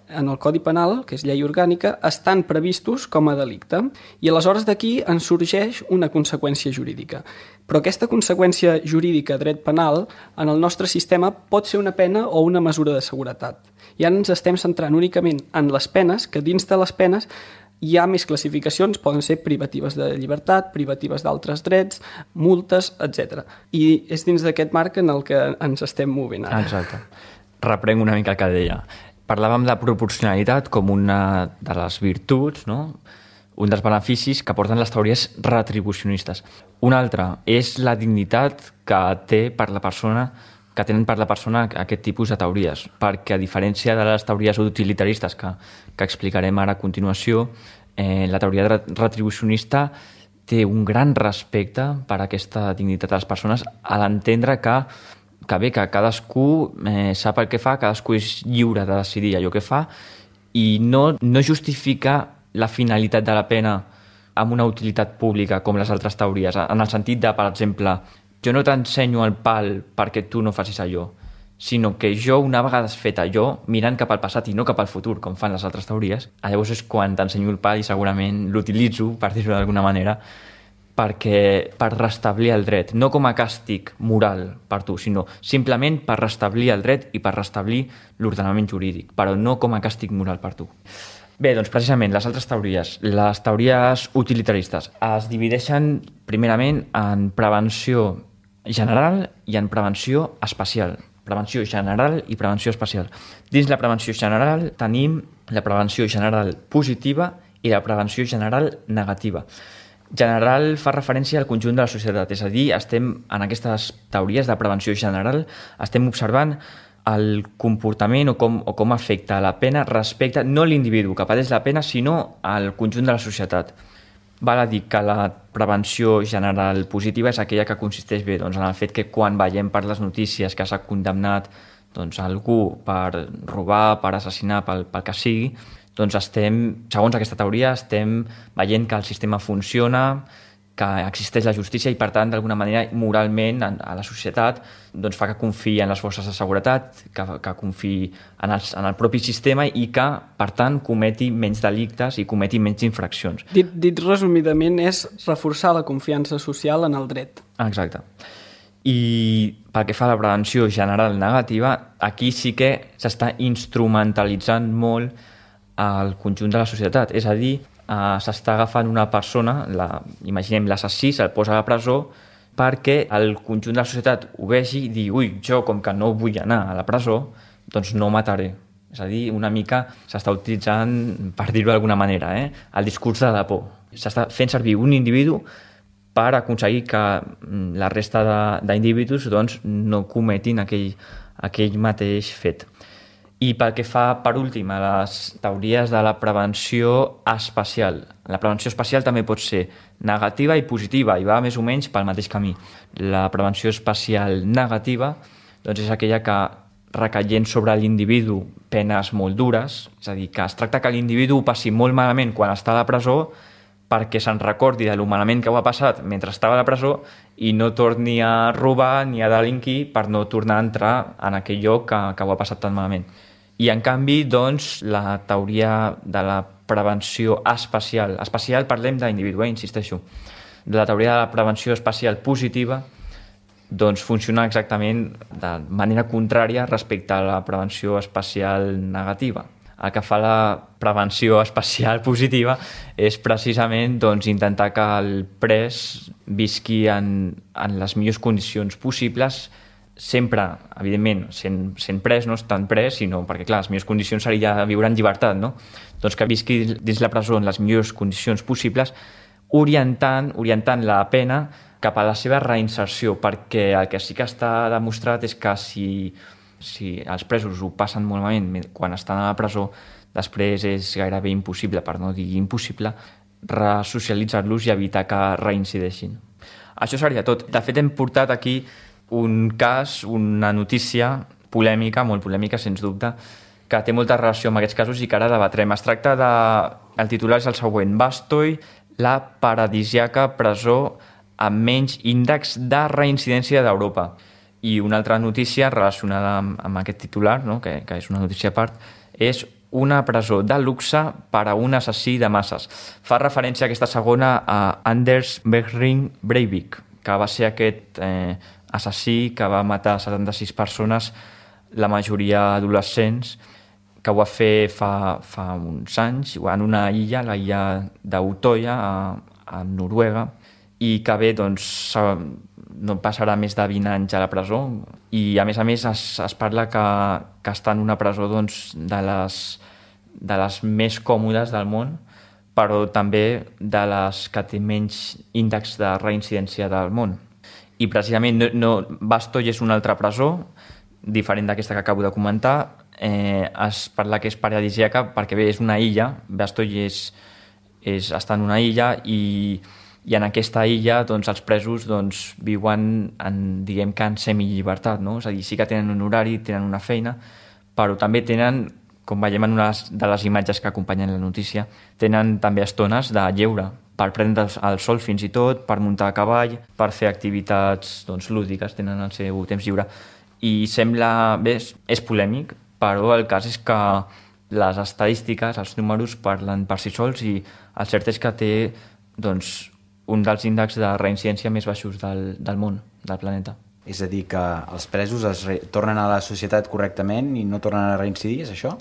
en el Codi Penal, que és llei orgànica, estan previstos com a delicte. I aleshores d'aquí en sorgeix una conseqüència jurídica. Però aquesta conseqüència jurídica, dret penal, en el nostre sistema pot ser una pena o una mesura de seguretat. I ara ens estem centrant únicament en les penes, que dins de les penes hi ha més classificacions, poden ser privatives de llibertat, privatives d'altres drets, multes, etcètera. I és dins d'aquest marc en el que ens estem movent ara. Exacte. Reprenc una mica el que deia. Parlàvem de proporcionalitat com una de les virtuts, no?, un dels beneficis que porten les teories retribucionistes. Un altre és la dignitat que té per la persona que tenen per la persona aquest tipus de teories, perquè a diferència de les teories utilitaristes que, que explicarem ara a continuació, eh, la teoria retribucionista té un gran respecte per aquesta dignitat de les persones a l'entendre que que bé, que cadascú eh, sap el que fa, cadascú és lliure de decidir allò que fa i no, no justifica la finalitat de la pena amb una utilitat pública com les altres teories, en el sentit de, per exemple, jo no t'ensenyo el pal perquè tu no facis allò, sinó que jo, una vegada has fet allò, mirant cap al passat i no cap al futur, com fan les altres teories, llavors és quan t'ensenyo el pal i segurament l'utilitzo, per dir-ho d'alguna manera, perquè per restablir el dret, no com a càstig moral per tu, sinó simplement per restablir el dret i per restablir l'ordenament jurídic, però no com a càstig moral per tu. Bé, doncs precisament les altres teories, les teories utilitaristes, es divideixen primerament en prevenció general i en prevenció especial. Prevenció general i prevenció especial. Dins la prevenció general tenim la prevenció general positiva i la prevenció general negativa. General fa referència al conjunt de la societat, és a dir, estem en aquestes teories de prevenció general, estem observant el comportament o com, o com afecta la pena respecte no a l'individu que pateix la pena, sinó al conjunt de la societat. Val a dir que la prevenció general positiva és aquella que consisteix bé doncs, en el fet que quan veiem per les notícies que s'ha condemnat doncs, algú per robar, per assassinar, pel, pel que sigui, doncs estem, segons aquesta teoria, estem veient que el sistema funciona, que existeix la justícia i, per tant, d'alguna manera, moralment, a la societat, doncs fa que confiï en les forces de seguretat, que, que confiï en el, en el propi sistema i que, per tant, cometi menys delictes i cometi menys infraccions. Dit, dit resumidament, és reforçar la confiança social en el dret. Exacte. I pel que fa a la prevenció general negativa, aquí sí que s'està instrumentalitzant molt al conjunt de la societat, és a dir, eh, s'està agafant una persona, la, imaginem l'assassí, se'l posa a la presó perquè el conjunt de la societat ho vegi i digui, ui, jo com que no vull anar a la presó, doncs no mataré. És a dir, una mica s'està utilitzant, per dir-ho d'alguna manera, eh, el discurs de la por. S'està fent servir un individu per aconseguir que la resta d'individus doncs, no cometin aquell, aquell mateix fet. I pel que fa, per últim, a les teories de la prevenció espacial. La prevenció espacial també pot ser negativa i positiva, i va més o menys pel mateix camí. La prevenció espacial negativa doncs és aquella que, recaient sobre l'individu penes molt dures, és a dir, que es tracta que l'individu ho passi molt malament quan està a la presó perquè se'n recordi de lo malament que ho ha passat mentre estava a la presó i no torni a robar ni a delinquir per no tornar a entrar en aquell lloc que, que ho ha passat tan malament. I, en canvi, doncs, la teoria de la prevenció espacial, espacial parlem d'individu, eh, insisteixo, de la teoria de la prevenció espacial positiva, doncs funciona exactament de manera contrària respecte a la prevenció espacial negativa. El que fa la prevenció espacial positiva és precisament doncs, intentar que el pres visqui en, en les millors condicions possibles, sempre, evidentment, sent, sent pres, no estant pres, sinó perquè, clar, les millors condicions seria viure en llibertat, no? Doncs que visqui dins la presó en les millors condicions possibles, orientant, orientant la pena cap a la seva reinserció, perquè el que sí que està demostrat és que si, si els presos ho passen molt malament quan estan a la presó, després és gairebé impossible, per no dir impossible, resocialitzar-los i evitar que reincideixin. Això seria tot. De fet, hem portat aquí un cas, una notícia polèmica, molt polèmica, sens dubte, que té molta relació amb aquests casos i que ara debatrem. Es tracta de... El titular és el següent: Bastoy, la paradisiaca presó amb menys índex de reincidència d'Europa. I una altra notícia relacionada amb, amb aquest titular, no? que, que és una notícia a part, és una presó de luxe per a un assassí de masses. Fa referència aquesta segona a Anders Behring Breivik, que va ser aquest eh, assassí que va matar setanta-sis persones, la majoria adolescents, que ho va fer fa, fa uns anys en una illa, la illa d'Utoya, a, a Noruega, i que bé, doncs, no passarà més de vint anys a la presó, i a més a més es, es parla que, que està en una presó doncs, de, les, de les més còmodes del món, però també de les que té menys índex de reincidència del món. I precisament no, no, Bastoy és una altra presó, diferent d'aquesta que acabo de comentar. Eh, es parla que és paradisíaca perquè bé, és una illa, Bastoy és, és, està en una illa i, i en aquesta illa doncs, els presos doncs, viuen en, diguem que en semillibertat, no? És a dir, sí que tenen un horari, tenen una feina, però també tenen, com veiem en una de les imatges que acompanyen la notícia, tenen també estones de lleure, per prendre el sol fins i tot, per muntar a cavall, per fer activitats doncs, lúdiques, tenen el seu temps lliure. I sembla, bé, és, és polèmic, però el cas és que les estadístiques, els números parlen per si sols i el cert és que té doncs, un dels índexs de reincidència més baixos del, del món, del planeta. És a dir, que els presos es re... tornen a la societat correctament i no tornen a reincidir, és això?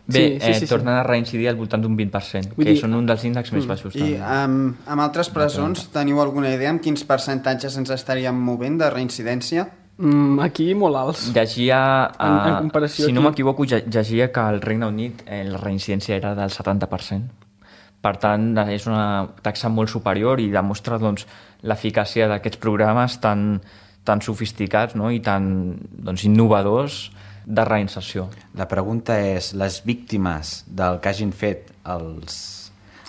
Bé, sí, sí, sí, eh, sí. tornen a reincidir al voltant d'un vint per cent, Vull que dir... són un dels índexs més baixos. I amb, amb altres presons teniu alguna idea amb quins percentatges ens estaríem movent de reincidència? Mm, aquí molt alts. Llegia, en, en comparació si no aquí... m'equivoco, llegia que al Regne Unit eh, la reincidència era del setanta per cent. Per tant, és una taxa molt superior i demostra doncs, l'eficàcia d'aquests programes tan, tan sofisticats, no? I tan doncs, innovadors de reinserció. La pregunta és, les víctimes del que hagin fet els...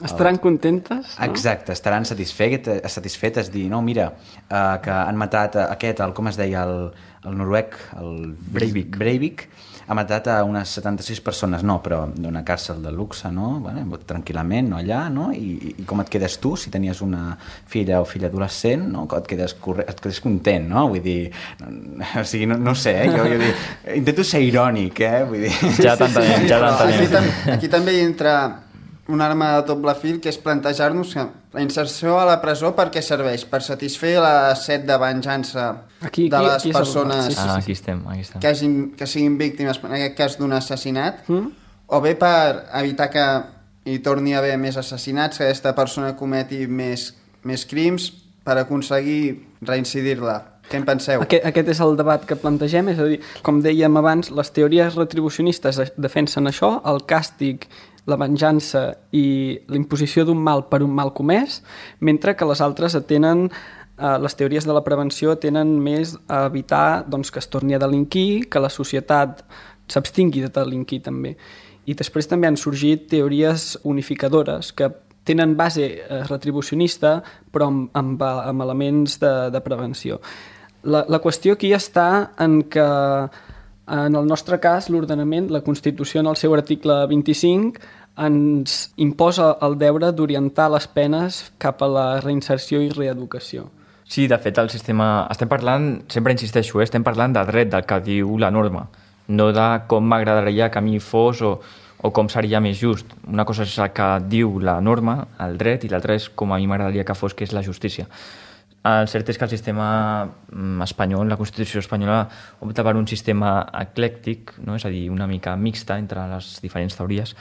Estaran contentes? No? Exacte, estaran satisfetes, satisfetes dir, no, mira, eh, que han matat aquest, el, com es deia, el, el noruec, el Breivik. Breivik, ha matat a unes setanta-sis persones, no, però d'una càrcel de luxe, no? Bueno, tranquil·lament, no, allà, no? I, I com et quedes tu, si tenies una filla o filla adolescent, no? Et quedes, corre... et quedes content, no? Vull dir, no, o sigui, no, no sé, eh? jo, jo dic, intento ser irònic, eh? Vull dir... Ja t'entenem, ja t'entenem. Aquí, tam aquí també hi entra una arma de doble fil, que és plantejar-nos que la inserció a la presó per què serveix? Per satisfer la set de venjança aquí, de les aquí, aquí persones sí, sí, sí. Ah, aquí estem, aquí estem. Que, hagin, que siguin víctimes, en aquest cas, d'un assassinat, Mm? o bé per evitar que hi torni a haver més assassinats, que aquesta persona cometi més, més crims, per aconseguir reincidir-la. Què en penseu? Aquest, aquest és el debat que plantegem, és a dir, com dèiem abans, les teories retribucionistes defensen això, el càstig, la venjança i l'imposició d'un mal per un mal comès, mentre que les altres atenen, eh, les teories de la prevenció tenen més a evitar doncs, que es torni a delinquir, que la societat s'abstingui de delinquir també. I després també han sorgit teories unificadores que tenen base retribucionista però amb, amb, amb elements de, de prevenció. La, la qüestió aquí està en que en el nostre cas l'ordenament, la Constitució en el seu article vint-i-cinc ens imposa el deure d'orientar les penes cap a la reinserció i reeducació. Sí, de fet, el sistema... Estem parlant, sempre insisteixo, eh? estem parlant de dret, del que diu la norma, no de com m'agradaria que a mi fos o, o com seria més just. Una cosa és el que diu la norma, el dret, i l'altra és com a mi m'agradaria que fos, que és la justícia. El cert és que el sistema espanyol, la Constitució espanyola, opta per un sistema eclèctic, no? És a dir, una mica mixta entre les diferents teories,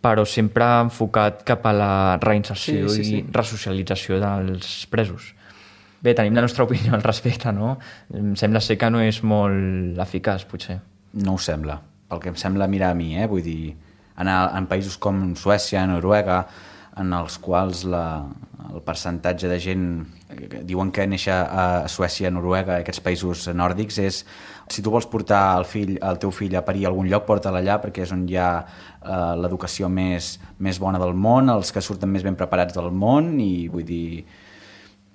però sempre enfocat cap a la reinserció sí, sí, sí. i resocialització dels presos. Bé, tenim la nostra opinió al respecte, no? Em sembla ser que no és molt eficaç, potser. No ho sembla, pel que em sembla mirar a mi, eh? Vull dir, en, en països com Suècia, Noruega, en els quals la, el percentatge de gent que diuen que néixer a Suècia, Noruega, aquests països nòrdics, és si tu vols portar el, fill, el teu fill a parir a algun lloc, porta-la allà perquè és on hi ha eh, l'educació més, més bona del món, els que surten més ben preparats del món, i vull dir,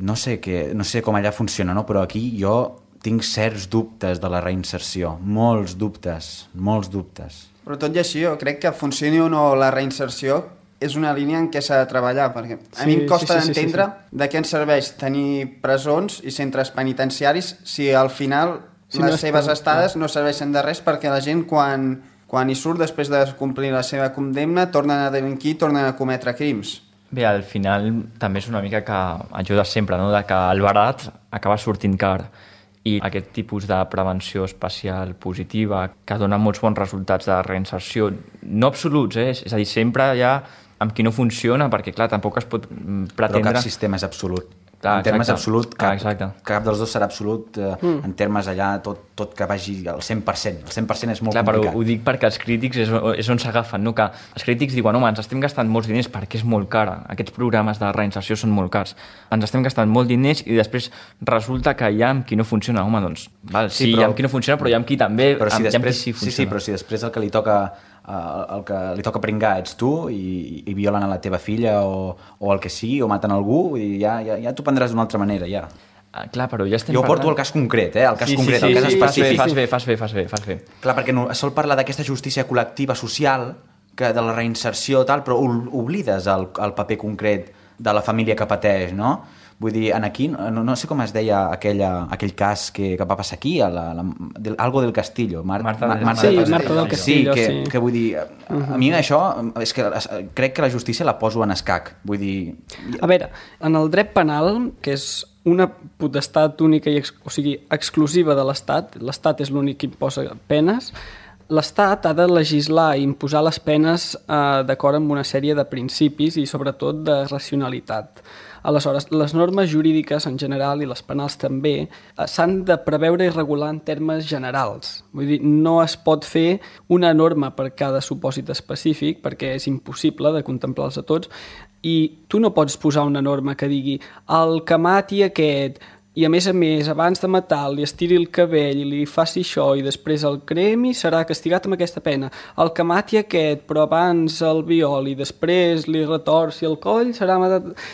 no sé, que, no sé com allà funciona, no? Però aquí jo tinc certs dubtes de la reinserció, molts dubtes, molts dubtes. Però tot i així, jo crec que funcioni o no la reinserció és una línia en què s'ha de treballar, perquè a sí, mi em costa sí, sí, d'entendre sí, sí, sí. de què ens serveix tenir presons i centres penitenciaris si al final si les no seves pot, estades no. no serveixen de res, perquè la gent quan, quan hi surt després de complir la seva condemna tornen a delinquir, tornen a cometre crims. Bé, al final també és una mica que ajuda sempre, no? De que el barat acaba sortint car, i aquest tipus de prevenció especial positiva que dona molts bons resultats de reinserció, no absoluts, eh? És a dir, sempre hi ha amb qui no funciona, perquè clar, tampoc es pot pretendre... Però cap sistema és absolut. Clar, en termes exacte. absolut, cap, ah, cap dels dos serà absolut, eh, mm. en termes allà tot, tot que vagi al cent per cent. El cent per cent és molt clar, complicat. Però ho dic perquè els crítics és, és on s'agafen, no? Que els crítics diuen, home, ens estem gastant molts diners perquè és molt cara. Aquests programes de reinserció són molt cars. Ens estem gastant molt diners i després resulta que hi ha amb qui no funciona. Home, doncs, val, sí, sí però, hi ha amb qui no funciona, però hi ha amb qui també però si amb, després, sí, sí, sí, però si després el que li toca... el que li toca pringar ets tu i, i violen a la teva filla o, o el que sigui, o maten algú, i ja, ja, ja t'ho prendràs d'una altra manera, ja. Ah, clar, però ja estem jo parlant... porto el cas concret, eh? El cas sí, concret, sí, sí, el cas sí, específic. Fas bé, fas bé, fas bé, fas bé. Clar, perquè no, es sol parlar d'aquesta justícia col·lectiva social, que de la reinserció tal, però oblides el, el paper concret de la família que pateix, no? Vull dir, en aquí, no, no sé com es deia aquella, aquell cas que, que va passar aquí, a la, la, del, algo del Castillo. Mar, Marta, Mar, Marta, sí, del Marta del Castillo. Sí, que, sí. que vull dir, a, a mi això, és que crec que la justícia la poso en escac. Vull dir... A veure, en el dret penal, que és una potestat única, i ex, o sigui, exclusiva de l'Estat, l'Estat és l'únic que imposa penes, l'Estat ha de legislar i imposar les penes eh, d'acord amb una sèrie de principis i sobretot de racionalitat. Aleshores, les normes jurídiques en general i les penals també s'han de preveure i regular en termes generals. Vull dir, no es pot fer una norma per cada supòsit específic perquè és impossible de contemplar-los a tots i tu no pots posar una norma que digui el que mati aquest i a més a més, abans de matar li estiri el cabell i li faci això i després el cremi, serà castigat amb aquesta pena. El que mati aquest, però abans el violi i després li retorci el coll, serà,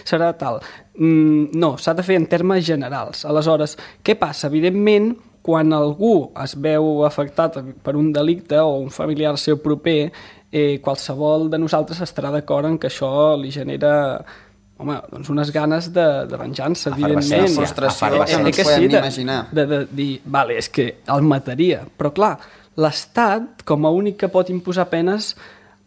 serà tal. Mm, no, s'ha de fer en termes generals. Aleshores, què passa? Evidentment, quan algú es veu afectat per un delicte o un familiar seu proper, eh, qualsevol de nosaltres estarà d'acord en que això li genera... Home, doncs unes ganes de, de venjança, evidentment. Una frustració que no ens podem ni imaginar. De, de, de dir, vale, és que el mataria. Però clar, l'Estat, com a únic que pot imposar penes,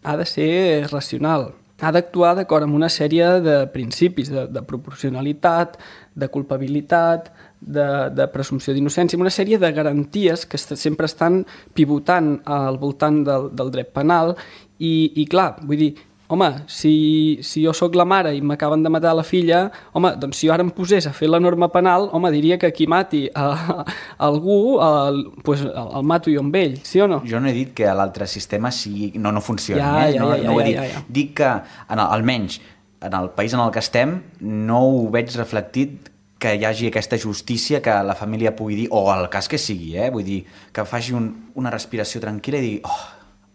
ha de ser racional. Ha d'actuar d'acord amb una sèrie de principis, de, de proporcionalitat, de culpabilitat, de, de presumpció d'innocència, una sèrie de garanties que sempre estan pivotant al voltant del, del dret penal i, i clar, vull dir, home, si, si jo sóc la mare i m'acaben de matar la filla, home, doncs si jo ara em posés a fer la norma penal, home, diria que qui mati a, a algú, el, pues, el, el mato jo amb ell, sí o no? Jo no he dit que l'altre sistema sigui, no, no funcioni, ja, eh? ja, no, ja, no ho he ja, dit. ja, ja. Dic que, en el, almenys, en el país en el que estem, no ho veig reflectit que hi hagi aquesta justícia, que la família pugui dir, o el cas que sigui, eh? Vull dir, que faci un, una respiració tranquil·la i digui, oh,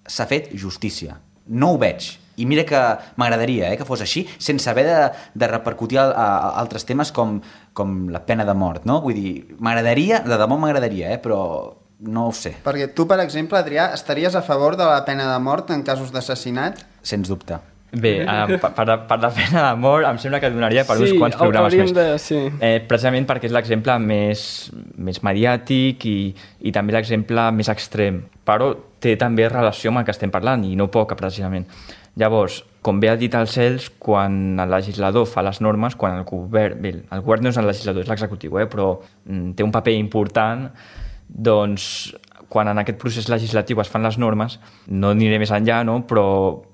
s'ha fet justícia. No ho veig. I mira que m'agradaria eh, que fos així, sense haver de, de repercutir a, a, a altres temes com, com la pena de mort, no? Vull dir, m'agradaria, de debò m'agradaria, eh, però no ho sé. Perquè tu, per exemple, Adrià, estaries a favor de la pena de mort en casos d'assassinat? Sens dubte. Bé, eh, per, per, per la pena de mort em sembla que donaria per sí, uns quants programes més. De, sí. eh, precisament perquè és l'exemple més, més mediàtic i, i també l'exemple més extrem, però té també relació amb el que estem parlant i no poca, precisament. Llavors, com bé ha dit el Cels, quan el legislador fa les normes, quan el govern... Bé, el govern no és el legislador, és l'executiu, eh, però mm, té un paper important, doncs quan en aquest procés legislatiu es fan les normes, no aniré més enllà, no? però,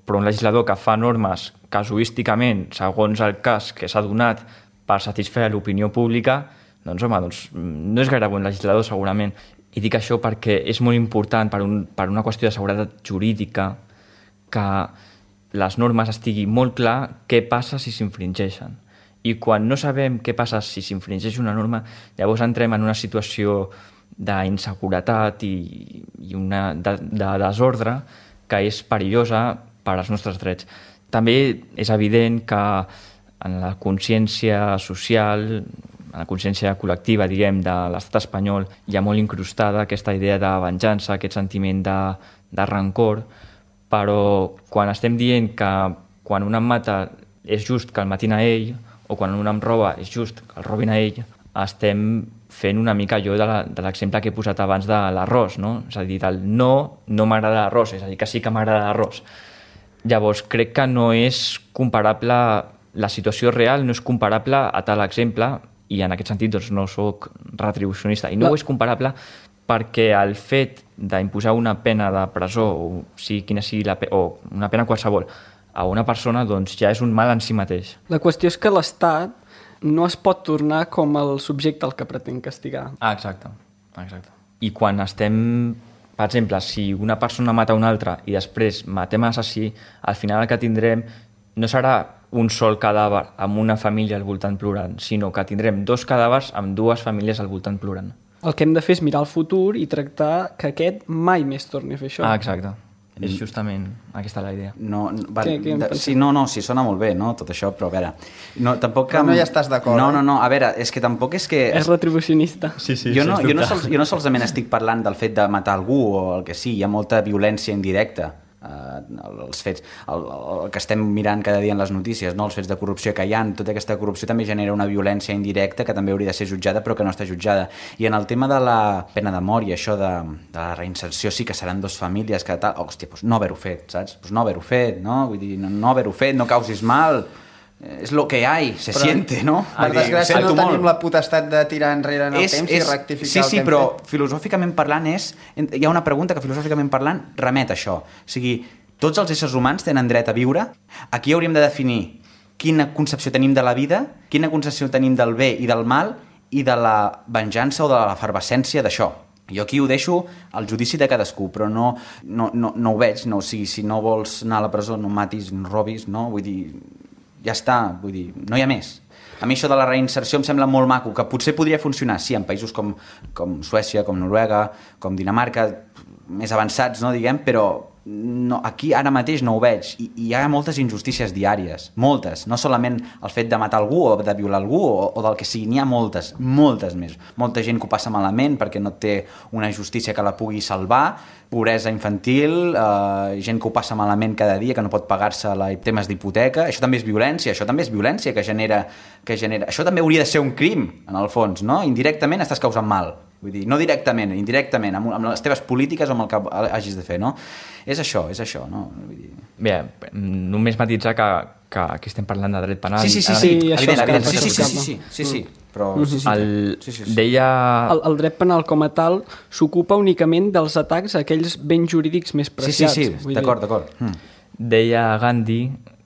però un legislador que fa normes casuísticament, segons el cas que s'ha donat per satisfer l'opinió pública, doncs home, doncs, no és gaire bon legislador segurament. I dic això perquè és molt important per, un, per una qüestió de seguretat jurídica que les normes estigui molt clar què passa si s'infringeixen. I quan no sabem què passa si s'infringeix una norma, llavors entrem en una situació d'inseguretat i, i una de, de desordre que és perillosa per als nostres drets. També és evident que en la consciència social, en la consciència col·lectiva, diguem, de l'estat espanyol, hi ha molt incrustada aquesta idea de venjança, aquest sentiment de, de rancor, però quan estem dient que quan un em mata és just que el matin a ell, o quan un em roba és just que el robin a ell, estem fent una mica allò de l'exemple que he posat abans de l'arròs, no? És a dir, del no, no m'agrada l'arròs, és a dir, que sí que m'agrada l'arròs. Llavors, crec que no és comparable, la situació real no és comparable a tal exemple, i en aquest sentit doncs, no sóc retribucionista. I no, no. és comparable perquè el fet d'imposar una pena de presó, o sigui quina sigui la pe- o una pena qualsevol, a una persona doncs, ja és un mal en si mateix. La qüestió és que l'Estat no es pot tornar com el subjecte al que pretén castigar. Ah, exacte. exacte. I quan estem, per exemple, si una persona mata una altra i després matem l'assassí, al final el que tindrem no serà un sol cadàver amb una família al voltant plorant, sinó que tindrem dos cadàvers amb dues famílies al voltant plorant. El que hem de fer és mirar el futur i tractar que aquest mai més torni a fer això. Ah, exacte. És justament aquesta la idea. No, no, va, què, què de, sí, no, no, sí, sona molt bé, no, tot això, però a veure... No, tampoc però no hi estàs d'acord, No, eh? no, no, a veure, és que tampoc és que... És retribucionista. Sí, sí, jo, no, jo, no sols, sols, jo no solament estic parlant del fet de matar algú o el que sigui, hi ha molta violència indirecta. Uh, els fets, el, el que estem mirant cada dia en les notícies, no? Els fets de corrupció que hi ha, tota aquesta corrupció també genera una violència indirecta que també hauria de ser jutjada però que no està jutjada. I en el tema de la pena de mort i això de, de la reinserció, sí que seran dos famílies que tal, oh, hòstia, doncs no haver-ho fet, saps? Pues no haver-ho fet, no? Vull dir, no, no haver-ho fet, no causis mal, és lo que hay, se però, siente, no? Per desgràcia no tenim molt. La potestat de tirar enrere en el és, temps és, i rectificar sí, el sí, que hem però fet. Filosòficament parlant és... Hi ha una pregunta que filosòficament parlant remet a això. O sigui, tots els éssers humans tenen dret a viure. Aquí hauríem de definir quina concepció tenim de la vida, quina concepció tenim del bé i del mal i de la venjança o de l'efervescència d'això. Jo aquí ho deixo al judici de cadascú, però no, no, no, no ho veig. No, o sigui, si no vols anar a la presó, no matis, no robis, no? Vull dir, ja està, vull dir, no hi ha més. A mi això de la reinserció em sembla molt maco, que potser podria funcionar, sí, en països com, com Suècia, com Noruega, com Dinamarca, més avançats, no, diguem, però no, aquí ara mateix no ho veig. I, i hi ha moltes injustícies diàries, moltes, no solament el fet de matar algú o de violar algú o, o del que sigui, n'hi ha moltes, moltes més. Molta gent que ho passa malament perquè no té una justícia que la pugui salvar, pobresa infantil, eh, gent que ho passa malament cada dia, que no pot pagar-se la, temes d'hipoteca, això també és violència, això també és violència que genera, que genera... Això també hauria de ser un crim, en el fons, no? Indirectament estàs causant mal. Vull dir, no directament, indirectament, amb, amb les teves polítiques o amb el que hagis de fer, no? És això, és això, no? Vull dir... Bé, només matitzar que, que aquí estem parlant de dret penal. Sí, sí, sí, sí, sí, evident, evident, sí, sí, sí, sí, sí, sí, sí, però... Sí, sí, el, sí, sí, sí. Deia... El, el dret penal com a tal s'ocupa únicament dels atacs a aquells béns jurídics més preciats. Sí, sí, sí, d'acord, d'acord. Mm. Deia Gandhi,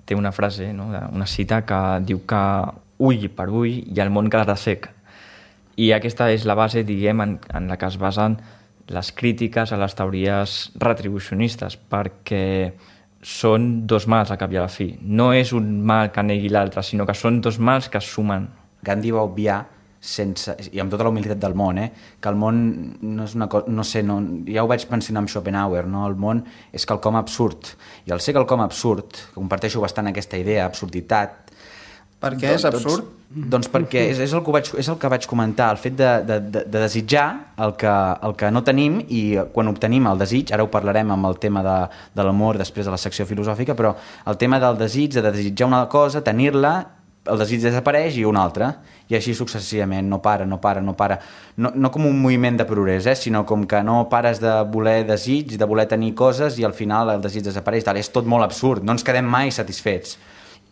té una frase, no? Una cita que diu que ull per ull i el món quedarà sec. I aquesta és la base, diguem, en, en la que es basen les crítiques a les teories retribucionistes, perquè són dos mals a cap i a la fi. No és un mal que negui l'altre, sinó que són dos mals que es sumen. Gandhi va obviar sense, i amb tota la humilitat del món, eh? que el món no és una cosa, no sé, no, ja ho vaig pensar amb Schopenhauer, no? El món és quelcom absurd, i al ser quelcom absurd, que comparteixo bastant aquesta idea, absurditat. Per què és absurd? Doncs, doncs perquè és, és, el que vaig, és el que vaig comentar, el fet de, de, de, de desitjar el que, el que no tenim, i quan obtenim el desig, ara ho parlarem amb el tema de, de l'amor després de la secció filosòfica, però el tema del desig, de desitjar una cosa, tenir-la, el desig desapareix i un altre, i així successivament, no para, no para, no para, no, no com un moviment de progrés, eh, sinó com que no pares de voler desig, de voler tenir coses, i al final el desig desapareix, tal, és tot molt absurd, no ens quedem mai satisfets,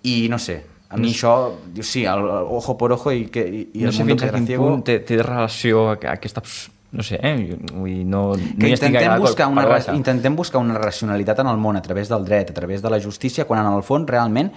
i no sé, a mi això, sí, el, el ojo por ojo i, que, i, i no el sé mundo fins a quin ciego... punt té, té relació a aquesta... No sé, eh? Vull dir, no, que no hi estic intentem, buscar una, per intentem buscar una racionalitat en el món a través del dret, a través de la justícia, quan en el fons realment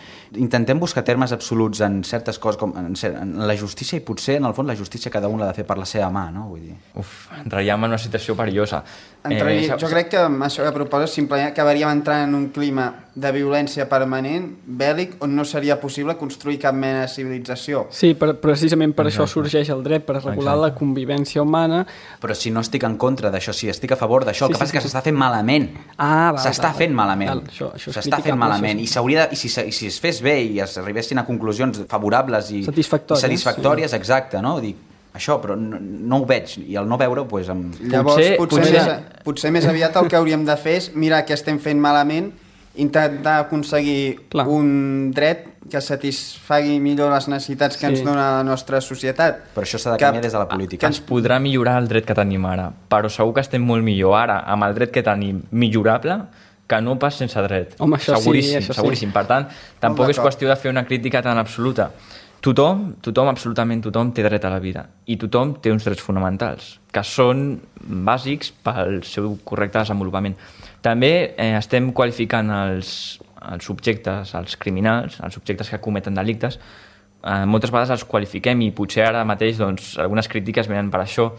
intentem buscar termes absoluts en certes coses, com en, en la justícia, i potser en el fons la justícia cada un l'ha de fer per la seva mà, no? Vull dir. Uf, entraríem en una situació perillosa. Entraria, Eh, jo crec que amb això que proposes simplement acabaríem entrant en un clima de violència permanent, bèl·lic, on no seria possible construir cap mena de civilització. Sí, per, precisament per Exacte. això sorgeix el dret, per regular Exacte. la convivència humana. Però si no estic en contra d'això, si estic a favor d'això, el Sí, que passa sí, és que sí. s'està fent malament. Ah, val, s'està val, fent val. malament. Val, això- això és s'està fent criticable, malament. això I, sí. s'hauria de, i, si, se- i si es fes bé i es arribessin a conclusions favorables i Satisfactòries, i satisfactòries, exacte, no? Dic, això, però no, no ho veig, i al no veure-ho, doncs... Amb... Llavors, Potser- potser, potser- Més, potser més aviat el que hauríem de fer és mirar què estem fent malament, intentar aconseguir Clar. un dret que satisfagui millor les necessitats que Sí. ens dona la nostra societat. Però això s'ha de Que- canviar des de la política. que ens- podrà millorar el dret que tenim ara, però segur que estem molt millor ara amb el dret que tenim millorable que no pas sense dret. Home, això sí, seguríssim, això sí. seguríssim. Per tant, tampoc és d'acord. qüestió de fer una crítica tan absoluta. Tothom, tothom, absolutament tothom té dret a la vida, i tothom té uns drets fonamentals que són bàsics pel seu correcte desenvolupament. També eh, estem qualificant els, els subjectes, els criminals, els subjectes que cometen delictes, eh, moltes vegades els qualifiquem, i potser ara mateix doncs, algunes crítiques venen per això,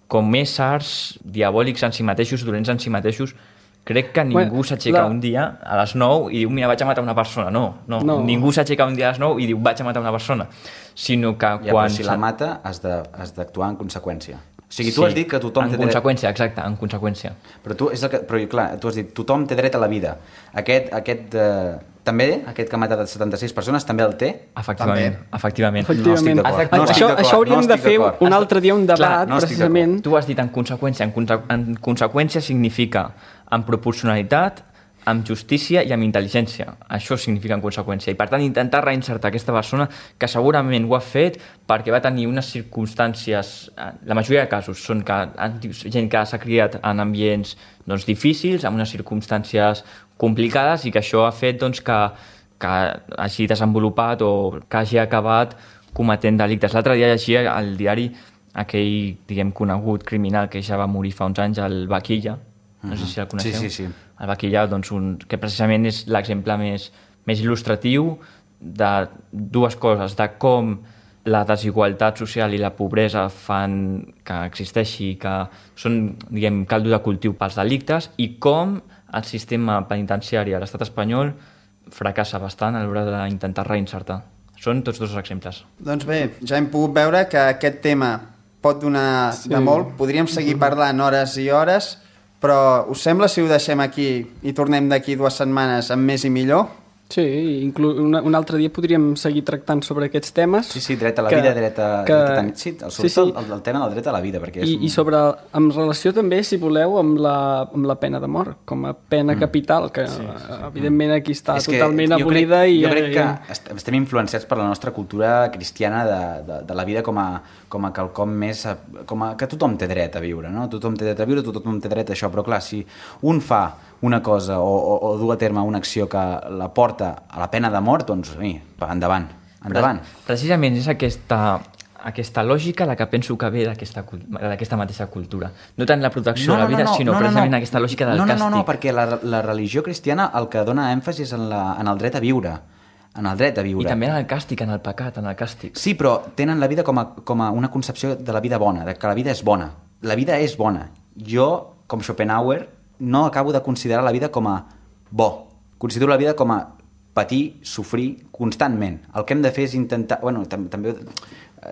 com éssers diabòlics en si mateixos, dolents en si mateixos. Crec que ningú Bueno, s'aixeca la- un dia a les nou i diu, mira, vaig a matar una persona. No, no, No. ningú s'aixeca un dia a les nou i diu, vaig a matar una persona. Sinó que Ja, quan... però si la s'ha- mata has de- has d'actuar en conseqüència. O sigui, tu Sí, has dit que tothom en té dret... conseqüència, exacte, en conseqüència. Però tu, és el que, però clar, tu has dit, tothom té dret a la vida. Aquest, aquest eh, també, aquest que ha matat setanta-sis persones, també el té? Efectivament, També. efectivament. Efectivament. No estic d'acord. Has d'actuar. No estic això, d'acord, això hauríem no de estic fer d'acord. un altre dia un debat, Clar, no estic precisament. Tu has dit en conseqüència. En, conse en conseqüència significa amb proporcionalitat, amb justícia i amb intel·ligència. Això significa en conseqüència. I per tant intentar reinsertar aquesta persona que segurament ho ha fet perquè va tenir unes circumstàncies, la majoria de casos són que gent que s'ha criat en ambients doncs, difícils, amb unes circumstàncies complicades, i que això ha fet doncs, que, que hagi desenvolupat o que hagi acabat cometent delictes. L'altre dia llegia al diari aquell, diguem, conegut criminal que ja va morir fa uns anys, el Vaquilla. No sé si el coneixeu. Sí, sí, sí. El Vaquilla, doncs, un, que precisament és l'exemple més, més il·lustratiu de dues coses, de com la desigualtat social i la pobresa fan que existeixi, que són, diguem, caldo de cultiu pels delictes, i com el sistema penitenciari a l'estat espanyol fracassa bastant a l'hora d'intentar reinsertar. Són tots dos exemples. Doncs bé, ja hem pogut veure que aquest tema pot donar Sí. de molt. Podríem seguir parlant hores i hores, però us sembla si ho deixem aquí i tornem d'aquí dues setmanes amb més i millor? Sí, inclú una, un altre dia podríem seguir tractant sobre aquests temes. Sí, sí, dret a la que- vida, dret a... que- Dret a tenir... Sí, sobretot sí, sí. El, el tema del dret a la vida, perquè és... I, un... I sobre, en relació també, si voleu, amb la, amb la pena de mort, com a pena mm. capital, que sí, sí. evidentment aquí està És que totalment jo abolida. crec, i jo crec que i- est- estem influenciats per la nostra cultura cristiana de, de, de la vida com a, com a quelcom més... Com a, que tothom té dret a viure, no? Tothom té dret a viure, tothom té dret a això, però clar, si un fa una cosa o, o, o du a terme una acció que la porta a la pena de mort, doncs, mi, endavant, endavant. Precisament és aquesta, aquesta lògica la que penso que ve d'aquesta cul- d'aquesta mateixa cultura. No tant la protecció de la vida, sinó precisament aquesta lògica del no, no, càstig. No, no, perquè la, la religió cristiana el que dona èmfasi és en, la, en el dret a viure, en el dret a viure. I també en el càstig, en el pecat, en el càstig. Sí, però tenen la vida com a, com a una concepció de la vida bona, de que la vida és bona. La vida és bona. Jo, com Schopenhauer, no acabo de considerar la vida com a bo. Considero la vida com a patir, sofrir constantment. El que hem de fer és intentar... Bueno, tam també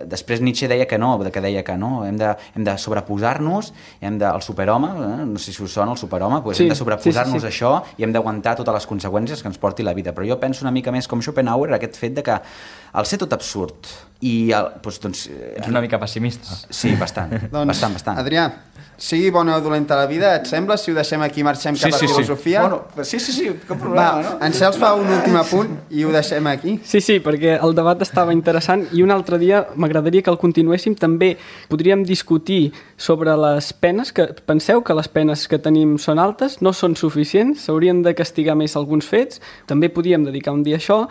Després Nietzsche deia que no, que deia que no, hem de, hem de sobreposar-nos, hem de, el superhome, eh? no sé si us sona el superhome, doncs sí, hem de sobreposar-nos sí, sí, sí. a això i hem d'aguantar totes les conseqüències que ens porti la vida. Però jo penso una mica més com Schopenhauer, aquest fet de que al ser tot absurd i... El, doncs, doncs, és una mica pessimista. Sí, bastant, doncs, bastant, bastant. Adrià, sigui bona o dolenta la vida, et sembla, si ho deixem aquí marxem cap sí, sí, a filosofia? Sí. Bueno, sí, sí, sí, cap problema, Va, no? En Cels fa un últim apunt i ho deixem aquí. Sí, sí, perquè el debat estava interessant i un altre dia m'agradaria que el continuéssim. També podríem discutir sobre les penes, que penseu que les penes que tenim són altes, no són suficients, s'haurien de castigar més alguns fets, també podíem dedicar un dia a això,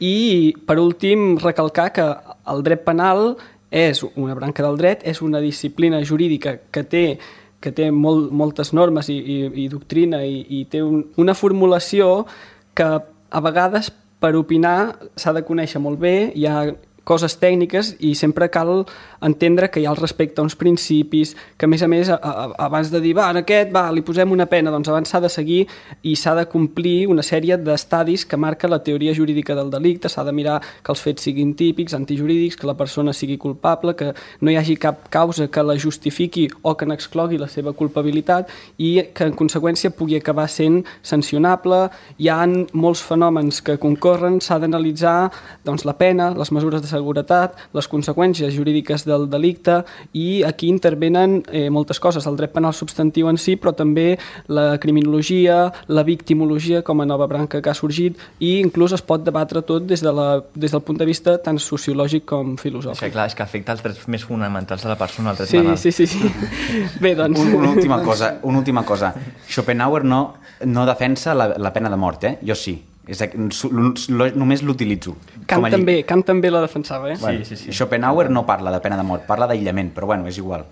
i per últim recalcar que el dret penal és una branca del dret, és una disciplina jurídica que té, que té molt, moltes normes i, i, i doctrina i, i té un, una formulació que a vegades per opinar s'ha de conèixer molt bé, hi ha coses tècniques i sempre cal entendre que hi ha el respecte a uns principis, que a més a més a, a, abans de dir, va, en aquest, va, li posem una pena, doncs abans s'ha de seguir i s'ha de complir una sèrie d'estadis que marca la teoria jurídica del delicte, s'ha de mirar que els fets siguin típics, antijurídics, que la persona sigui culpable, que no hi hagi cap causa que la justifiqui o que n'exclogui la seva culpabilitat i que en conseqüència pugui acabar sent sancionable. Hi ha molts fenòmens que concorren, s'ha d'analitzar doncs, la pena, les mesures de seguretat, les conseqüències jurídiques del delicte i aquí intervenen eh, moltes coses, el dret penal substantiu en si, però també la criminologia, la victimologia com a nova branca que ha sorgit i inclús es pot debatre tot des, de la, des del punt de vista tant sociològic com filosòfic. Sí, clar, és que afecta els drets més fonamentals de la persona, el dret sí, penal. Sí, sí, sí. Bé, doncs... Un, una, última cosa, una última cosa. Schopenhauer no, no defensa la, la pena de mort, eh? Jo sí. És, només l'utilitzo. Kant també, Kant també la defensava, eh? Bueno, sí, sí, sí. Schopenhauer no parla de pena de mort, parla d'aïllament, però bueno, és igual.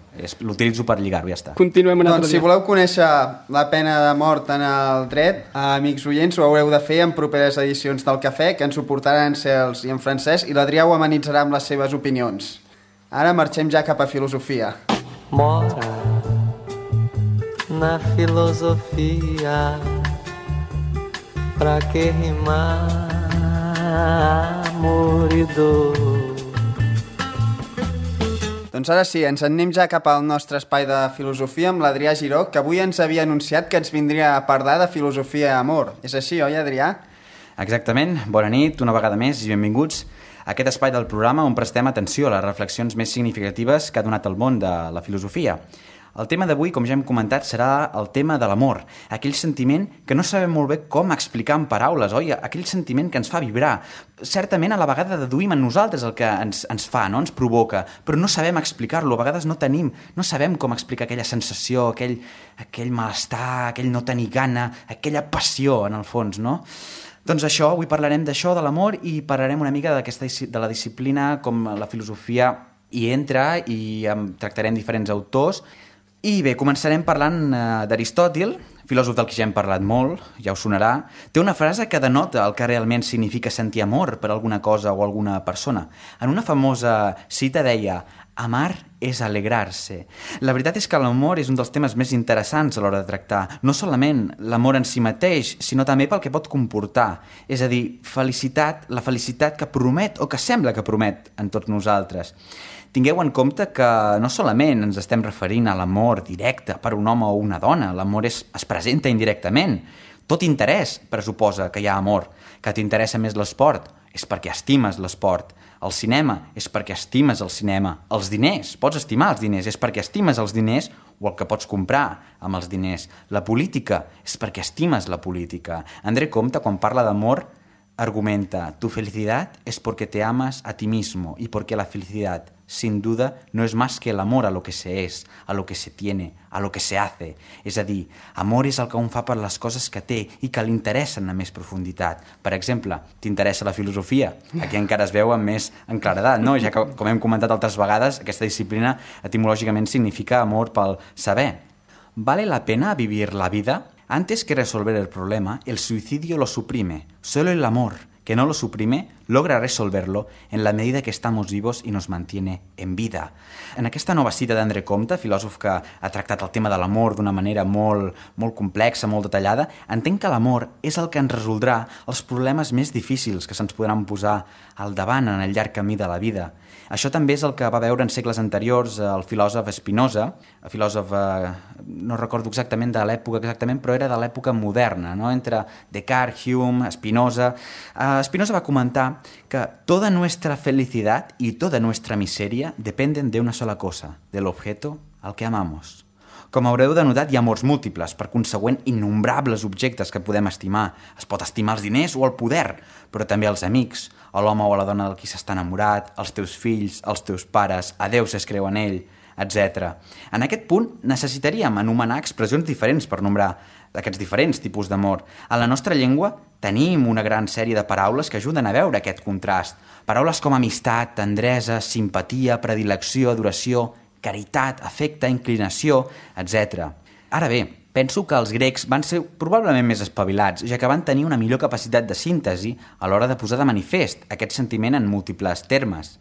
L'utilitzo per lligar-ho, ja està. Continuem un altre doncs, dia. si voleu conèixer la pena de mort en el dret, amics oients, ho haureu de fer en properes edicions del Cafè, que ens ho portaran en Cels i en Francesc, i l'Adrià ho amenitzarà amb les seves opinions. Ara marxem ja cap a filosofia. Mora na filosofia. Pra que rimar amor i dor. Doncs ara sí, ens anem ja cap al nostre espai de filosofia amb l'Adrià Giró, que avui ens havia anunciat que ens vindria a parlar de filosofia i amor. És així, oi, Adrià? Exactament. Bona nit, una vegada més, i benvinguts a aquest espai del programa on prestem atenció a les reflexions més significatives que ha donat el món de la filosofia. El tema d'avui, com ja hem comentat, serà el tema de l'amor, aquell sentiment que no sabem molt bé com explicar en paraules, oi? Aquell sentiment que ens fa vibrar. Certament, a la vegada deduïm en nosaltres el que ens, ens fa, no? Ens provoca, però no sabem explicar-lo, a vegades no tenim, no sabem com explicar aquella sensació, aquell, aquell malestar, aquell no tenir gana, aquella passió, en el fons, no? Doncs això, avui parlarem d'això, de l'amor, i parlarem una mica d'aquesta, de la disciplina, com la filosofia hi entra, i tractarem diferents autors. I bé, començarem parlant uh, d'Aristòtil, filòsof del que ja hem parlat molt, ja us sonarà. Té una frase que denota el que realment significa sentir amor per alguna cosa o alguna persona. En una famosa cita deia: amar és alegrar-se. La veritat és que l'amor és un dels temes més interessants a l'hora de tractar. No solament l'amor en si mateix, sinó també pel que pot comportar. És a dir, felicitat, la felicitat que promet o que sembla que promet en tots nosaltres. Tingueu en compte que no solament ens estem referint a l'amor directe per un home o una dona, l'amor es, es presenta indirectament. Tot interès pressuposa que hi ha amor. Que t'interessa més l'esport és perquè estimes l'esport. El cinema és perquè estimes el cinema. Els diners, pots estimar els diners, és perquè estimes els diners o el que pots comprar amb els diners. La política és perquè estimes la política. André Comte, quan parla d'amor, argumenta: tu felicidad es porque te amas a ti mismo y porque la felicidad, sin duda, no es más que el amor a lo que se es, a lo que se tiene, a lo que se hace. És a dir, amor és el que un fa per les coses que té i que li interessen a més profunditat. Per exemple, t'interessa la filosofia? Aquí encara es veu amb més en claredat, no? Ja que, com hem comentat altres vegades, aquesta disciplina etimològicament significa amor pel saber. ¿Vale la pena vivir la vida? Antes que resolver el problema, el suicidio lo suprime. Solo el amor, que no lo suprime, logra resolverlo en la medida que estamos vivos y nos mantiene en vida. En aquesta nova cita d'André Comte, filòsof que ha tractat el tema de l'amor d'una manera molt, molt complexa, molt detallada, entenc que l'amor és el que ens resoldrà els problemes més difícils que se'ns podran posar al davant en el llarg camí de la vida. Això també és el que va veure en segles anteriors el filòsof Spinoza, el filòsof, eh, no recordo exactament de l'època exactament, però era de l'època moderna, no? Entre Descartes, Hume, Spinoza. Eh, Spinoza va comentar que toda nuestra felicidad y toda nuestra miseria dependen de una sola cosa, del objeto al que amamos. Com haureu de notar, hi ha amors múltiples, per consegüent innombrables objectes que podem estimar. Es pot estimar els diners o el poder, però també els amics, o l'home o la dona del qui s'està enamorat, els teus fills, els teus pares, a Déu si es creu en ell, etcètera. En aquest punt necessitaríem anomenar expressions diferents per nombrar aquests diferents tipus d'amor. A la nostra llengua tenim una gran sèrie de paraules que ajuden a veure aquest contrast. Paraules com amistat, tendresa, simpatia, predilecció, adoració, caritat, afecte, inclinació, etcètera. Ara bé, penso que els grecs van ser probablement més espavilats, ja que van tenir una millor capacitat de síntesi a l'hora de posar de manifest aquest sentiment en múltiples termes.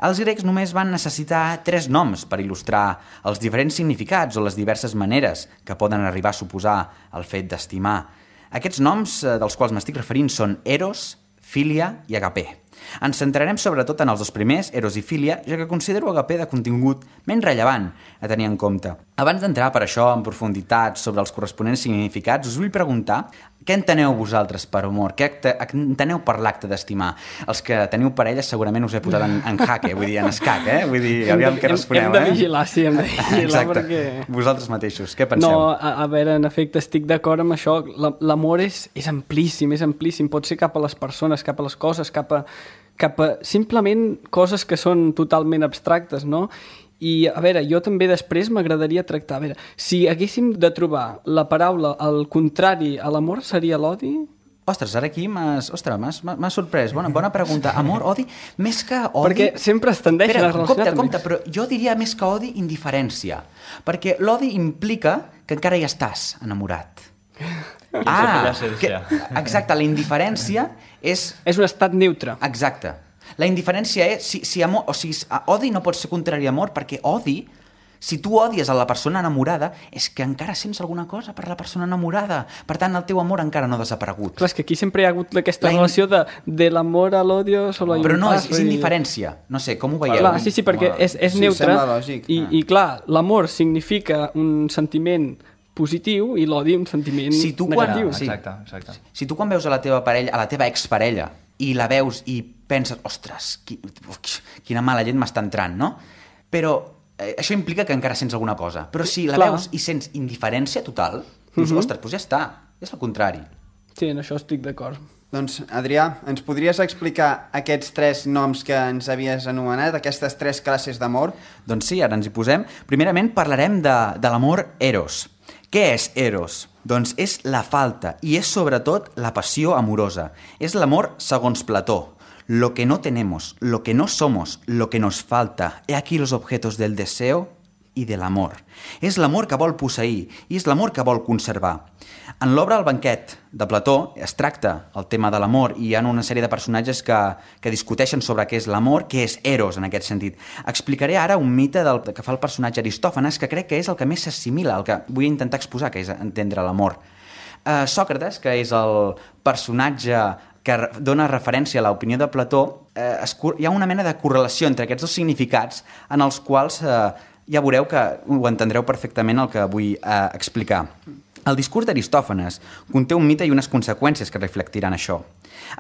Els grecs només van necessitar tres noms per il·lustrar els diferents significats o les diverses maneres que poden arribar a suposar el fet d'estimar. Aquests noms dels quals m'estic referint són Eros, Filia i Agapé. Ens centrarem sobretot en els dos primers, Eros i Filia, ja que considero Agapé de contingut menys rellevant a tenir en compte. Abans d'entrar per això en profunditat sobre els corresponents significats, us vull preguntar què enteneu vosaltres per amor? Què enteneu per l'acte d'estimar? Els que teniu parella segurament us he posat en, en jaque, vull dir, en escac, eh? Vull dir, aviam què responeu, eh? Hem de vigilar, sí, hem de vigilar. Exacte. Perquè... Vosaltres mateixos, què penseu? No, a, a veure, en efecte, estic d'acord amb això. L'amor és, és amplíssim, és amplíssim. Pot ser cap a les persones, cap a les coses, cap a, cap a simplement coses que són totalment abstractes, no? I, a veure, jo també després m'agradaria tractar... A veure, si haguéssim de trobar la paraula al contrari a l'amor, seria l'odi? Ostres, ara aquí m'has... Ostres, m'has sorprès. Bona, bona pregunta. Amor, odi, més que odi... Perquè sempre es tendeixen Espera, a relacionar compte, compte, però jo diria més que odi, indiferència. Perquè l'odi implica que encara hi estàs enamorat. Ah, que, exacte, la indiferència és... És un estat neutre. Exacte. La indiferència és... Si, si amor, o sigui, odi no pot ser contrari a amor, perquè odi, si tu odies a la persona enamorada, és que encara sents alguna cosa per la persona enamorada. Per tant, el teu amor encara no ha desaparegut. Clar, és que aquí sempre hi ha hagut aquesta la in... relació de, de l'amor a l'odio... Solo Però no, és, és indiferència. No sé, com ho veieu? Clar, sí, sí, perquè és, és sí, neutre. Lògic. I, I clar, l'amor significa un sentiment positiu i l'odi un sentiment si tu negatiu. Quan, sí. Exacte, exacte. Si tu quan veus a la teva parella, a la teva exparella, i la veus i penses, ostres, qui, quina mala llet m'està entrant, no? Però eh, això implica que encara sents alguna cosa. Però si la Clar. veus i sents indiferència total, dius, Mhm. ostres, doncs ja està, és el contrari. Sí, en això estic d'acord. Doncs, Adrià, ens podries explicar aquests tres noms que ens havies anomenat, aquestes tres classes d'amor? Doncs sí, ara ens hi posem. Primerament parlarem de, de l'amor eros. Què és eros? Doncs és la falta i és sobretot la passió amorosa. És l'amor segons Plató. Lo que no tenemos, lo que no somos, lo que nos falta. He aquí los objetos del deseo i de l'amor. És l'amor que vol posseir i és l'amor que vol conservar. En l'obra El banquet de Plató es tracta el tema de l'amor i hi ha una sèrie de personatges que, que discuteixen sobre què és l'amor, què és eros en aquest sentit. Explicaré ara un mite del que fa el personatge Aristòfanes que crec que és el que més s'assimila, el que vull intentar exposar, que és entendre l'amor. Uh, Sòcrates, que és el personatge que dona referència a l'opinió de Plató, eh, es, hi ha una mena de correlació entre aquests dos significats en els quals eh, ja veureu que ho entendreu perfectament el que vull eh, explicar. El discurs d'Aristòfanes conté un mite i unes conseqüències que reflectiran això.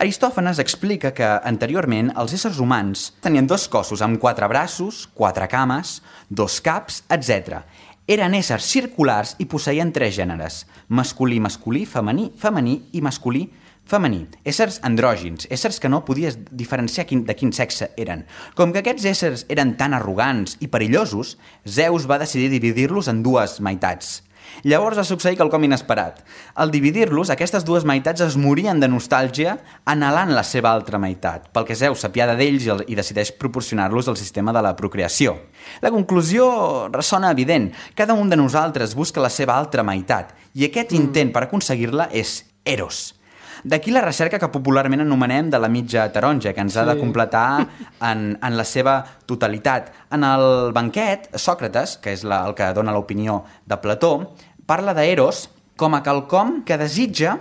Aristòfanes explica que anteriorment els éssers humans tenien dos cossos amb quatre braços, quatre cames, dos caps, etcètera. Eren éssers circulars i posseïen tres gèneres, masculí, masculí, femení, femení i masculí, femení. Éssers andrògins, éssers que no podies diferenciar quin, de quin sexe eren. Com que aquests éssers eren tan arrogants i perillosos, Zeus va decidir dividir-los en dues meitats. Llavors va succeir quelcom inesperat. Al dividir-los, aquestes dues meitats es morien de nostàlgia anhelant la seva altra meitat, pel que Zeus s'apiada d'ells i decideix proporcionar-los el sistema de la procreació. La conclusió ressona evident. Cada un de nosaltres busca la seva altra meitat i aquest intent per aconseguir-la és eros. D'aquí la recerca que popularment anomenem de la mitja taronja, que ens ha de completar en, en la seva totalitat. En el banquet, Sòcrates, que és la, el que dona l'opinió de Plató, parla d'Eros com a quelcom que desitja...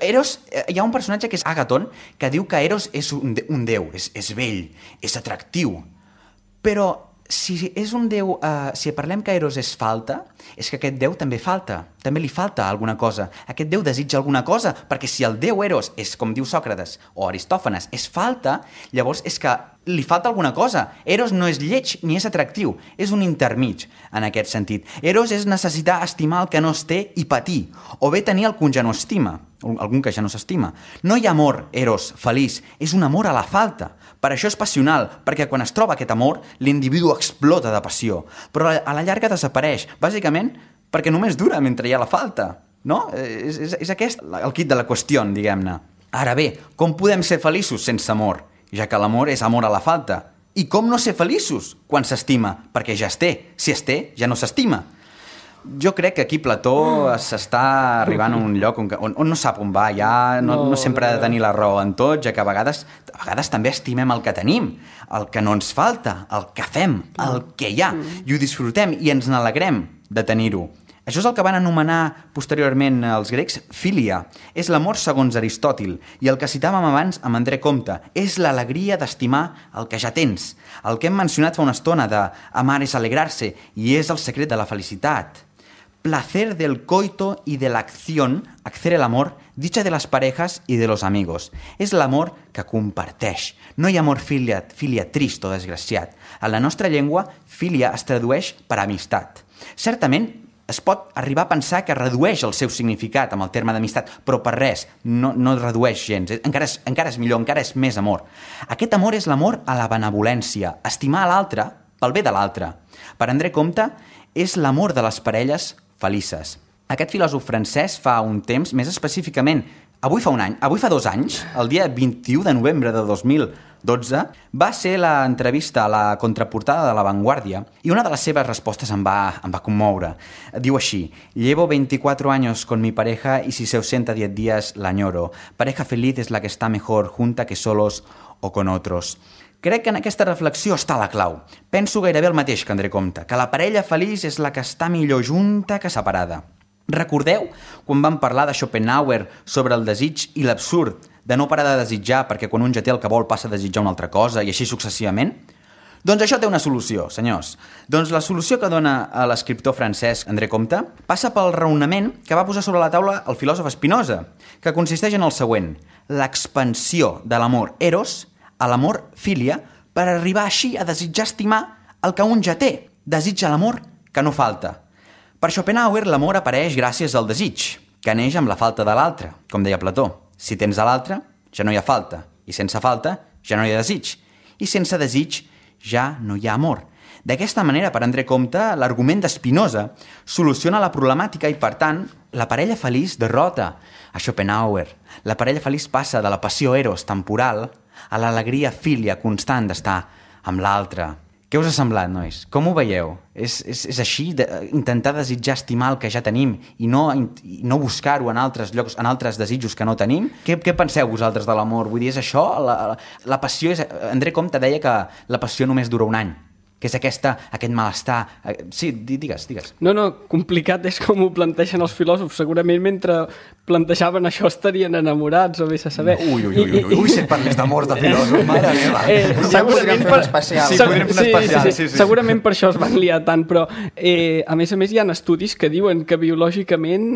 Eros, hi ha un personatge que és Àgaton, que diu que Eros és un, de, un déu, és, és vell, és atractiu. Però si és un déu, uh, si parlem que Eros és falta, és que aquest déu també falta, també li falta alguna cosa. Aquest déu desitja alguna cosa, perquè si el déu Eros és, com diu Sòcrates o Aristòfanes, és falta, llavors és que li falta alguna cosa. Eros no és lleig ni és atractiu, és un intermig en aquest sentit. Eros és necessitar estimar el que no es té i patir, o bé tenir el que ja no estima, algun que ja no s'estima. No hi ha amor, Eros, feliç, és un amor a la falta. Per això és passional, perquè quan es troba aquest amor, l'individu explota de passió, però a la llarga desapareix, bàsicament perquè només dura mentre hi ha la falta, no? És, és, és aquest el quid de la qüestió, diguem-ne. Ara bé, com podem ser feliços sense amor, ja que l'amor és amor a la falta? I com no ser feliços quan s'estima? Perquè ja es té. Si es té, ja no s'estima. Jo crec que aquí Plató s'està arribant a un lloc on, on, on no sap on va, ja no, no sempre ha de tenir la raó en tot, ja que a vegades, a vegades també estimem el que tenim, el que no ens falta, el que fem, el que hi ha, i ho disfrutem i ens n'alegrem de tenir-ho. Això és el que van anomenar posteriorment els grecs filia. És l'amor segons Aristòtil, i el que citàvem abans amb André Comte, és l'alegria d'estimar el que ja tens. El que hem mencionat fa una estona de amar és alegrar-se, i és el secret de la felicitat. Placer del coito y de la acción, hacer el amor, dicha de las parejas y de los amigos. És l'amor que comparteix. No hi ha amor filia, filia trist o desgraciat. A la nostra llengua, filia es tradueix per amistat. Certament, es pot arribar a pensar que redueix el seu significat amb el terme d'amistat, però per res, no, no redueix gens. Encara és, encara és millor, encara és més amor. Aquest amor és l'amor a la benevolència, estimar a l'altre pel bé de l'altre. Per André Comte, és l'amor de les parelles felices. Aquest filòsof francès fa un temps, més específicament, avui fa un any, avui fa dos anys, el dia vint-i-u de novembre de dos mil dotze, va ser l'entrevista a la contraportada de La Vanguardia i una de les seves respostes em va, em va commoure. Diu així: llevo veinticuatro años con mi pareja y si se ausenta diez días la añoro. Pareja feliz es la que está mejor junta que solos o con otros. Crec que en aquesta reflexió està la clau. Penso gairebé el mateix que André Comte, que la parella feliç és la que està millor junta que separada. Recordeu quan vam parlar de Schopenhauer sobre el desig i l'absurd de no parar de desitjar perquè quan un ja té el que vol passa a desitjar una altra cosa i així successivament? Doncs això té una solució, senyors. Doncs la solució que dona a l'escriptor francès André Comte passa pel raonament que va posar sobre la taula el filòsof Spinoza, que consisteix en el següent: l'expansió de l'amor eros a l'amor filia per arribar així a desitjar estimar el que un ja té. Desitja l'amor que no falta. Per Schopenhauer, l'amor apareix gràcies al desig, que neix amb la falta de l'altre, com deia Plató. Si tens a l'altre, ja no hi ha falta, i sense falta ja no hi ha desig, i sense desig ja no hi ha amor. D'aquesta manera, per André Comte, l'argument de Spinoza soluciona la problemàtica i, per tant, la parella feliç derrota a Schopenhauer. La parella feliç passa de la passió eros temporal a l'alegria filia constant d'estar amb l'altre. Què us ha semblat, nois? Com ho veieu? És, és, és així, de, intentar desitjar estimar el que ja tenim i no, i no buscar-ho en altres llocs, en altres desitjos que no tenim? Què, què penseu vosaltres de l'amor? Vull dir, és això? La, la, la passió és... André Comte deia que la passió només dura un any, que és aquesta, aquest malestar... Sí, digues, digues. No, no, complicat és com ho planteixen els filòsofs. Segurament mentre plantejaven això estarien enamorats, o vés a saber. Ui, ui, ui, ui, ui, si et parles d'amor de filòsof, mare meva. Eh, segurament per... especial. Sí, podríem fer un especial. Sí, sí, sí, sí. Segurament per això es van liar tant, però eh, a més a més hi ha estudis que diuen que biològicament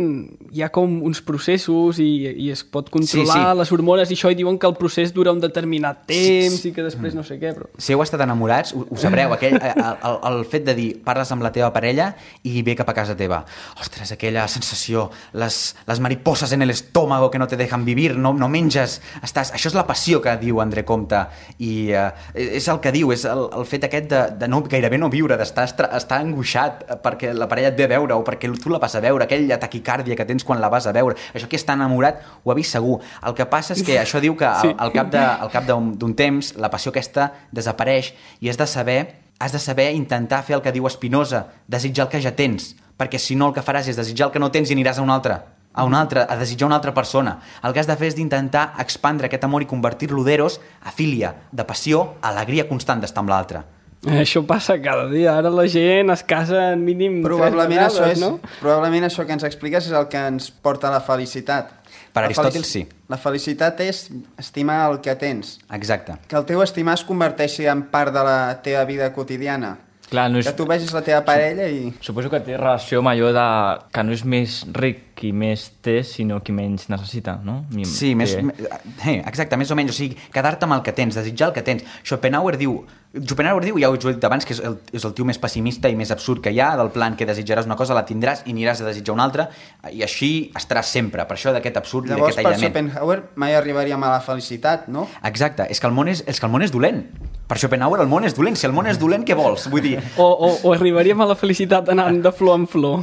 hi ha com uns processos i, i es pot controlar sí, sí. les hormones i això, i diuen que el procés dura un determinat temps sí, sí. i que després no sé què, però... Si heu estat enamorats, ho, ho sabreu, aquell, el, el, el fet de dir, parles amb la teva parella i ve cap a casa teva. Ostres, aquella sensació, les, les mariposas en el estómago que no te dejan vivir, no, no menges, estàs... Això és la passió que diu André Comte i uh, és el que diu, és el, el fet aquest de, de no, gairebé no viure, d'estar estar angoixat perquè la parella et ve a veure o perquè tu la vas a veure, aquella taquicàrdia que tens quan la vas a veure. Això que està enamorat ho ha vist segur. El que passa és que això diu que al, al cap de, al cap d'un temps la passió aquesta desapareix i has de saber has de saber intentar fer el que diu Spinoza, desitjar el que ja tens, perquè si no el que faràs és desitjar el que no tens i aniràs a un altre. a una altra, a desitjar una altra persona. El que has de fer és d'intentar expandre aquest amor i convertir-lo d'eros a filia, de passió, a alegria constant d'estar amb l'altre. Això passa cada dia. Ara la gent es casa en mínim probablement tres vegades, això és, no? Probablement això que ens expliques és el que ens porta a la felicitat. Per la Aristòtil, felici... sí. La felicitat és estimar el que tens. Exacte. Que el teu estimar es converteixi en part de la teva vida quotidiana. Clar, no és... Que tu vegis la teva parella i... Suposo que té relació amb allò de que no és més ric qui més té, sinó qui menys necessita, no? Mi... Sí, més, que... hey, exacte, més o menys, o sigui, quedar-te amb el que tens, desitjar el que tens. Schopenhauer diu, Schopenhauer diu, ja ho he dit abans, que és el, és el tio més pessimista i més absurd que hi ha, del plan que desitjaràs una cosa, la tindràs i aniràs a desitjar una altra, i així estaràs sempre, per això d'aquest absurd Llavors, i d'aquest aïllament. Llavors, per Schopenhauer mai arribaríem a la felicitat, no? Exacte, és que el món és, és, que el món és dolent. Per Schopenhauer el món és dolent, si el món és dolent, què vols? Vull dir... O, o, o arribaríem a la felicitat anant de flor en flor.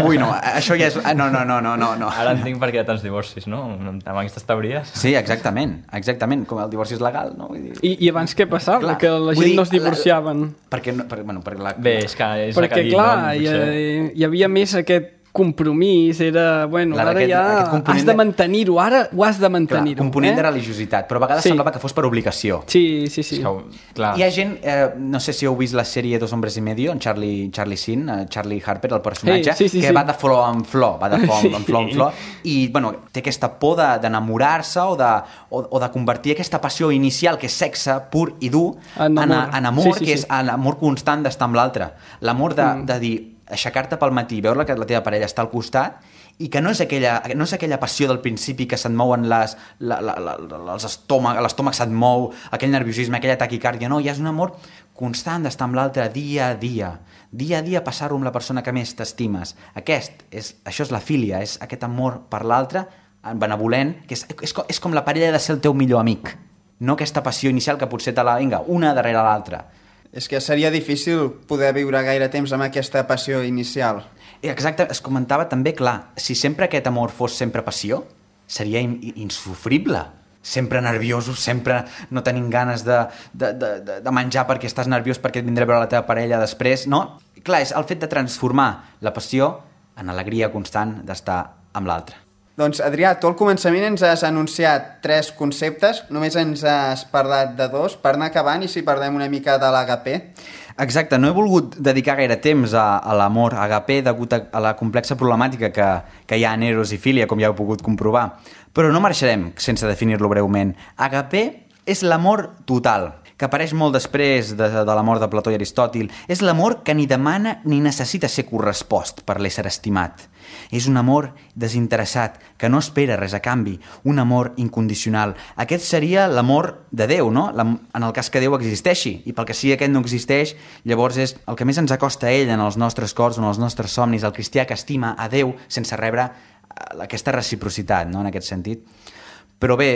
Ui, no, això ja és... No, no, no, no, no. no. Ara entenc per què hi ha tants divorcis, no? Amb aquestes teories. Sí, exactament, exactament, com el divorci és legal, no? Vull dir... I, I abans què passava? Clar, que la gent dir, no es divorciaven. La, perquè, no, per, bueno, perquè la... Bé, és que és perquè, dit, clar, no? hi, hi havia més aquest compromís, era, bueno, Clar, ara aquest- ja aquest component has de de- mantenir-ho, ara ho has de Clar, mantenir-ho. component eh? de religiositat, però a vegades Sí. semblava que fos per obligació. Sí, sí, sí. És que, clar, Hi ha gent, eh, no sé si heu vist la sèrie Dos hombres y medio, en Charlie, Charlie Sheen, eh, Charlie Harper, el personatge, Sí, sí, sí, que sí. va de flor en flor, va de flor Sí. en flor en flor, i bueno, té aquesta por de- d'enamorar-se o, de, o, o de convertir aquesta passió inicial, que és sexe pur i dur, En en, amor. en amor, Sí, sí, que sí. és l'amor constant d'estar amb l'altre. L'amor de, Mm. de dir, aixecar-te pel matí, veure que la teva parella està al costat, i que no és aquella, no és aquella passió del principi que se't mouen les, la, la, la, els estómac, l'estómac se't mou, aquell nerviosisme, aquella taquicàrdia, no, ja és un amor constant d'estar amb l'altre dia a dia, dia a dia passar-ho amb la persona que més t'estimes. Aquest és, això és la filia, és aquest amor per l'altre, benevolent, que és, és, com, és com la parella de ser el teu millor amic, no aquesta passió inicial que potser te la, vinga, una darrere l'altra. És que seria difícil poder viure gaire temps amb aquesta passió inicial. Exacte, es comentava també, clar, si sempre aquest amor fos sempre passió, seria in insufrible. Sempre nerviosos, sempre no tenim ganes de, de, de, de menjar perquè estàs nerviós perquè et vindrà a veure la teva parella després, no? Clar, és el fet de transformar la passió en alegria constant d'estar amb l'altre. Doncs, Adrià, tu al començament ens has anunciat tres conceptes, només ens has parlat de dos, per anar acabant i si parlem una mica de l'agapé. Exacte, no he volgut dedicar gaire temps a, a l'amor agapé degut a, a la complexa problemàtica que, que hi ha en eros i filia, com ja heu pogut comprovar. Però no marxarem sense definir-lo breument. Agapé és l'amor total, que apareix molt després de, de l'amor de Plató i Aristòtil. És l'amor que ni demana ni necessita ser correspost per l'ésser estimat. És un amor desinteressat, que no espera res a canvi, un amor incondicional. Aquest seria l'amor de Déu, no? En el cas que Déu existeixi, i pel que sigui aquest no existeix, llavors és el que més ens acosta a ell en els nostres cors, en els nostres somnis, el cristià que estima a Déu sense rebre aquesta reciprocitat, no?, en aquest sentit. Però bé,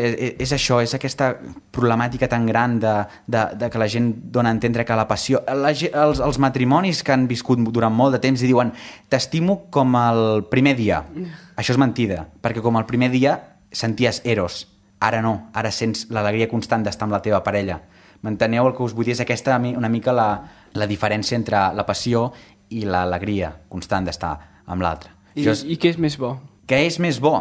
és això, és aquesta problemàtica tan gran de, de, de que la gent dona a entendre que la passió... La, els, els matrimonis que han viscut durant molt de temps i diuen t'estimo com el primer dia. Això és mentida, perquè com el primer dia senties eros. Ara no, ara sents l'alegria constant d'estar amb la teva parella. M'enteneu? El que us vull dir és aquesta una mica la, la diferència entre la passió i l'alegria constant d'estar amb l'altre. I, és... I què és més bo? Què és més bo?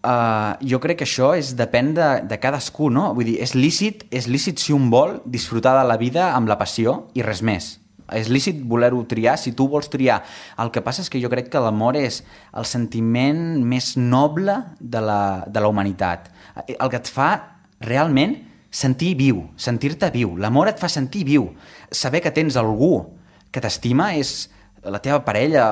Uh, jo crec que això és, depèn de, de cadascú, no? Vull dir, és lícit, és lícit si un vol disfrutar de la vida amb la passió i res més. És lícit voler-ho triar si tu vols triar. El que passa és que jo crec que l'amor és el sentiment més noble de la, de la humanitat. El que et fa realment sentir viu, sentir-te viu. L'amor et fa sentir viu. Saber que tens algú que t'estima és... La teva parella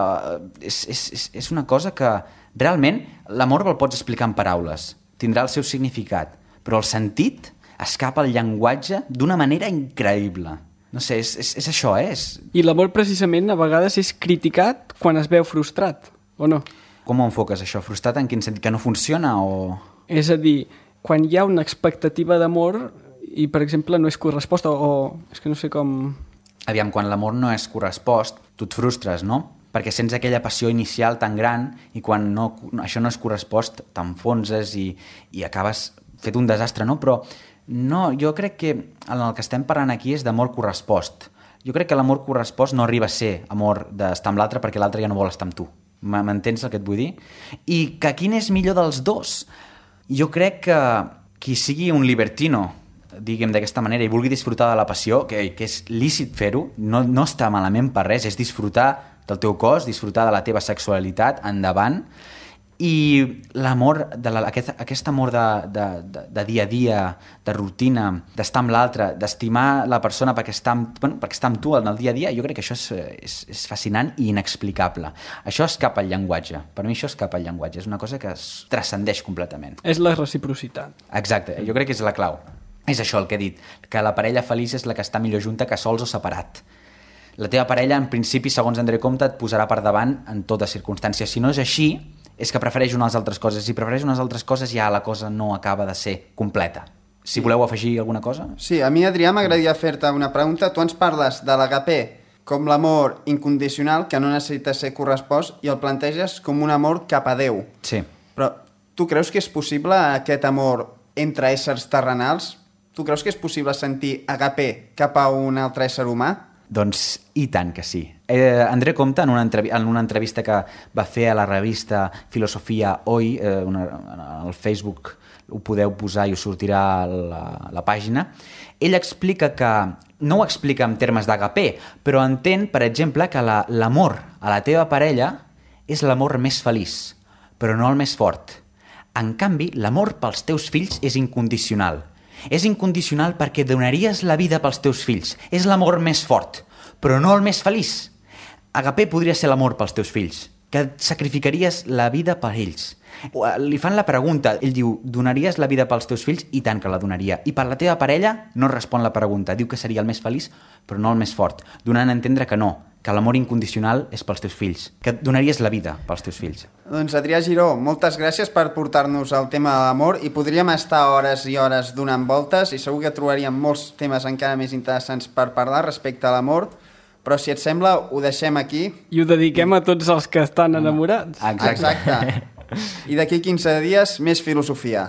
és, és, és, és una cosa que realment l'amor el pots explicar en paraules, tindrà el seu significat, però el sentit escapa al llenguatge d'una manera increïble. No sé, és, és, és això, eh? És... I l'amor precisament a vegades és criticat quan es veu frustrat, o no? Com ho enfoques això? Frustrat en quin sentit? Que no funciona o...? És a dir, quan hi ha una expectativa d'amor i, per exemple, no és corresposta o... És que no sé com... Aviam, quan l'amor no és correspost, tu et frustres, no? Perquè sents aquella passió inicial tan gran i quan no, això no és correspost t'enfonses i, i acabes fet un desastre, no? Però no, jo crec que el que estem parlant aquí és d'amor correspost. Jo crec que l'amor correspost no arriba a ser amor d'estar amb l'altre perquè l'altre ja no vol estar amb tu. M'entens el que et vull dir? I que quin és millor dels dos? Jo crec que qui sigui un libertino, diguem d'aquesta manera, i vulgui disfrutar de la passió, que, que és lícit fer-ho, no, no està malament per res, és disfrutar del teu cos, disfrutar de la teva sexualitat, endavant. I l'amor, de la, aquest, aquest amor de, de, de, de dia a dia, de rutina, d'estar amb l'altre, d'estimar la persona perquè està, amb, bueno, perquè està amb tu en el dia a dia, jo crec que això és, és, és fascinant i inexplicable. Això escapa al llenguatge. Per mi això escapa al llenguatge. És una cosa que es transcendeix completament. És la reciprocitat. Exacte, jo crec que és la clau. És això el que he dit, que la parella feliç és la que està millor junta que sols o separat. La teva parella, en principi, segons André Comte, et posarà per davant en totes circumstàncies. Si no és així, és que prefereix unes altres coses. Si prefereix unes altres coses, ja la cosa no acaba de ser completa. Si voleu afegir alguna cosa? Sí, a mi, Adrià, m'agradaria fer-te una pregunta. Tu ens parles de l'agapé com l'amor incondicional que no necessita ser correspost i el planteges com un amor cap a Déu. Sí. Però tu creus que és possible aquest amor entre éssers terrenals? Tu creus que és possible sentir agapé cap a un altre ésser humà? Doncs i tant que sí. Eh, André Comte, en una, entrev en una entrevista que va fer a la revista Filosofia Hoy, eh, una, al Facebook ho podeu posar i us sortirà la, la pàgina, ell explica que, no ho explica en termes d'agapé, però entén, per exemple, que l'amor la, a la teva parella és l'amor més feliç, però no el més fort. En canvi, l'amor pels teus fills és incondicional. És incondicional perquè donaries la vida pels teus fills. És l'amor més fort, però no el més feliç. Agapé podria ser l'amor pels teus fills, que sacrificaries la vida per ells. Li fan la pregunta, ell diu, donaries la vida pels teus fills? I tant que la donaria. I per la teva parella no respon la pregunta, diu que seria el més feliç, però no el més fort, donant a entendre que no, que l'amor incondicional és pels teus fills, que donaries la vida pels teus fills. Doncs Adrià Giró, moltes gràcies per portar-nos al tema de l'amor i podríem estar hores i hores donant voltes i segur que trobaríem molts temes encara més interessants per parlar respecte a l'amor, però si et sembla ho deixem aquí. I ho dediquem a tots els que estan enamorats. Exacte. Exacte. I d'aquí quinze dies més filosofia.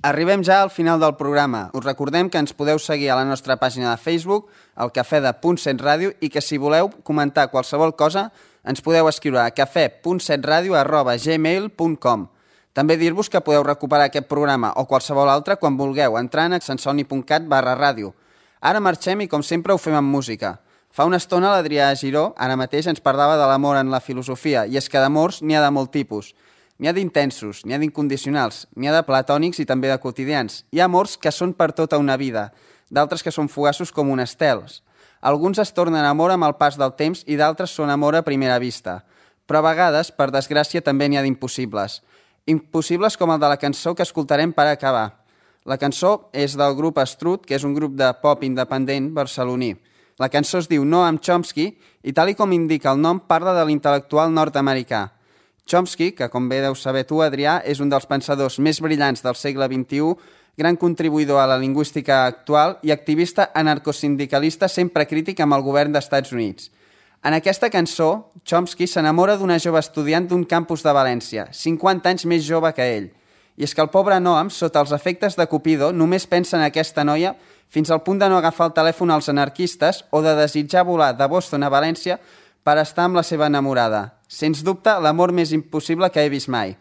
Arribem ja al final del programa. Us recordem que ens podeu seguir a la nostra pàgina de Facebook, al Cafè de Punt set Ràdio, i que si voleu comentar qualsevol cosa ens podeu escriure a cafè punt set ràdio arroba gmail punt com. També dir-vos que podeu recuperar aquest programa o qualsevol altre quan vulgueu entrant a sensoni punt cat barra ràdio. Ara marxem i com sempre ho fem amb música. Fa una estona l'Adrià Giró ara mateix ens parlava de l'amor en la filosofia i és que d'amors n'hi ha de molt tipus. N'hi ha d'intensos, n'hi ha d'incondicionals, n'hi ha de platònics i també de quotidians. Hi ha amors que són per tota una vida, d'altres que són fugaços com un estels. Alguns es tornen amor amb el pas del temps i d'altres són amor a primera vista. Però a vegades, per desgràcia, també n'hi ha d'impossibles. Impossibles com el de la cançó que escoltarem per acabar. La cançó és del grup Strut, que és un grup de pop independent barceloní. La cançó es diu Noam Chomsky i, tal i com indica el nom, parla de l'intel·lectual nord-americà. Chomsky, que com bé deus saber tu, Adrià, és un dels pensadors més brillants del segle vint-i-u, gran contribuïdor a la lingüística actual i activista anarcosindicalista sempre crític amb el govern dels Estats Units. En aquesta cançó, Chomsky s'enamora d'una jove estudiant d'un campus de València, cinquanta anys més jove que ell. I és que el pobre Noam, sota els efectes de Cupido, només pensa en aquesta noia fins al punt de no agafar el telèfon als anarquistes o de desitjar volar de Boston a València per estar amb la seva enamorada. Sens dubte, l'amor més impossible que he vist mai.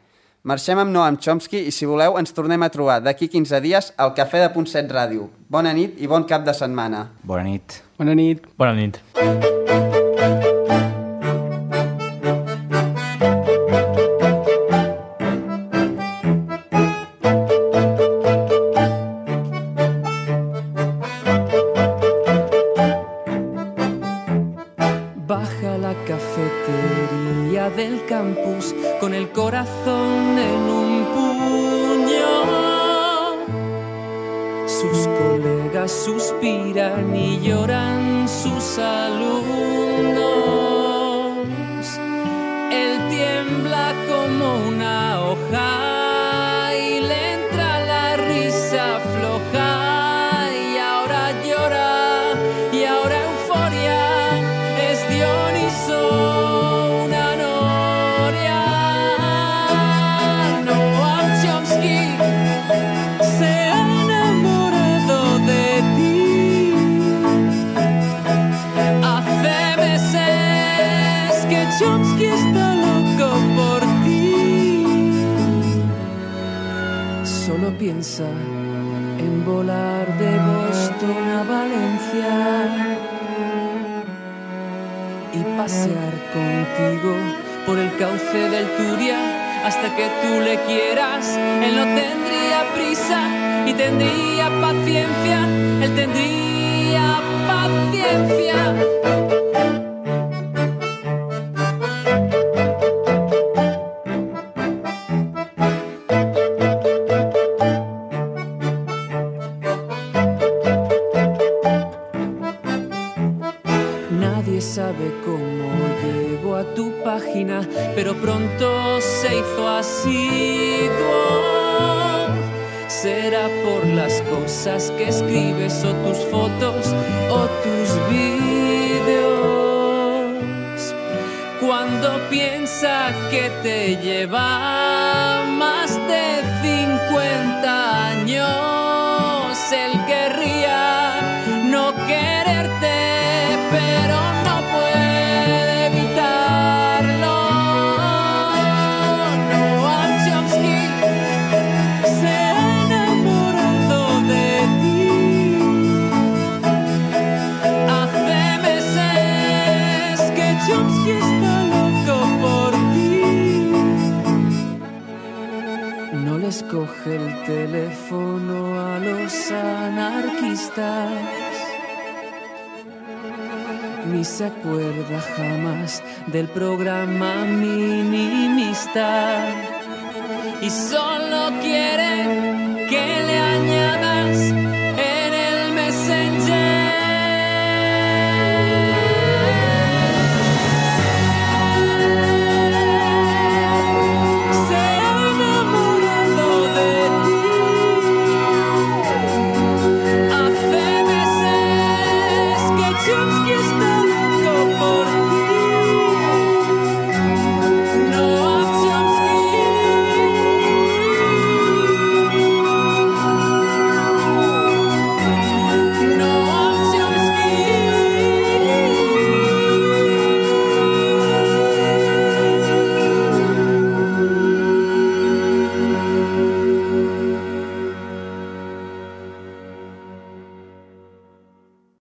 Marxem amb Noam Chomsky i, si voleu, ens tornem a trobar d'aquí quinze dies al Cafè de Punt set Ràdio. Bona nit i bon cap de setmana. Bona nit. Bona nit. Bona nit. Del campus con el corazón en un puño. Sus colegas suspiran y lloran sus alumnos. Él tiembla como una hoja y le entra la risa floja y ahora llora y ahora euforia es Dioniso. Noam Chomsky pasear contigo por el cauce del Turia hasta que tú le quieras. Él no tendría prisa y tendría paciencia, él tendría paciencia. Nadie sabe cómo llegó a tu página, pero pronto se hizo asiduo. Será por las cosas que escribes o tus fotos o tus vídeos. Cuando piensa que te lleva más de cincuenta años, él querría no quererte, pero no puede evitarlo. Noam Chomsky se ha enamorado de ti. Hace meses que Chomsky está loco por ti. No les coge el teléfono a los anarquistas, ni se acuerda jamás del programa minimista, y solo quiere que le añadas en el Messenger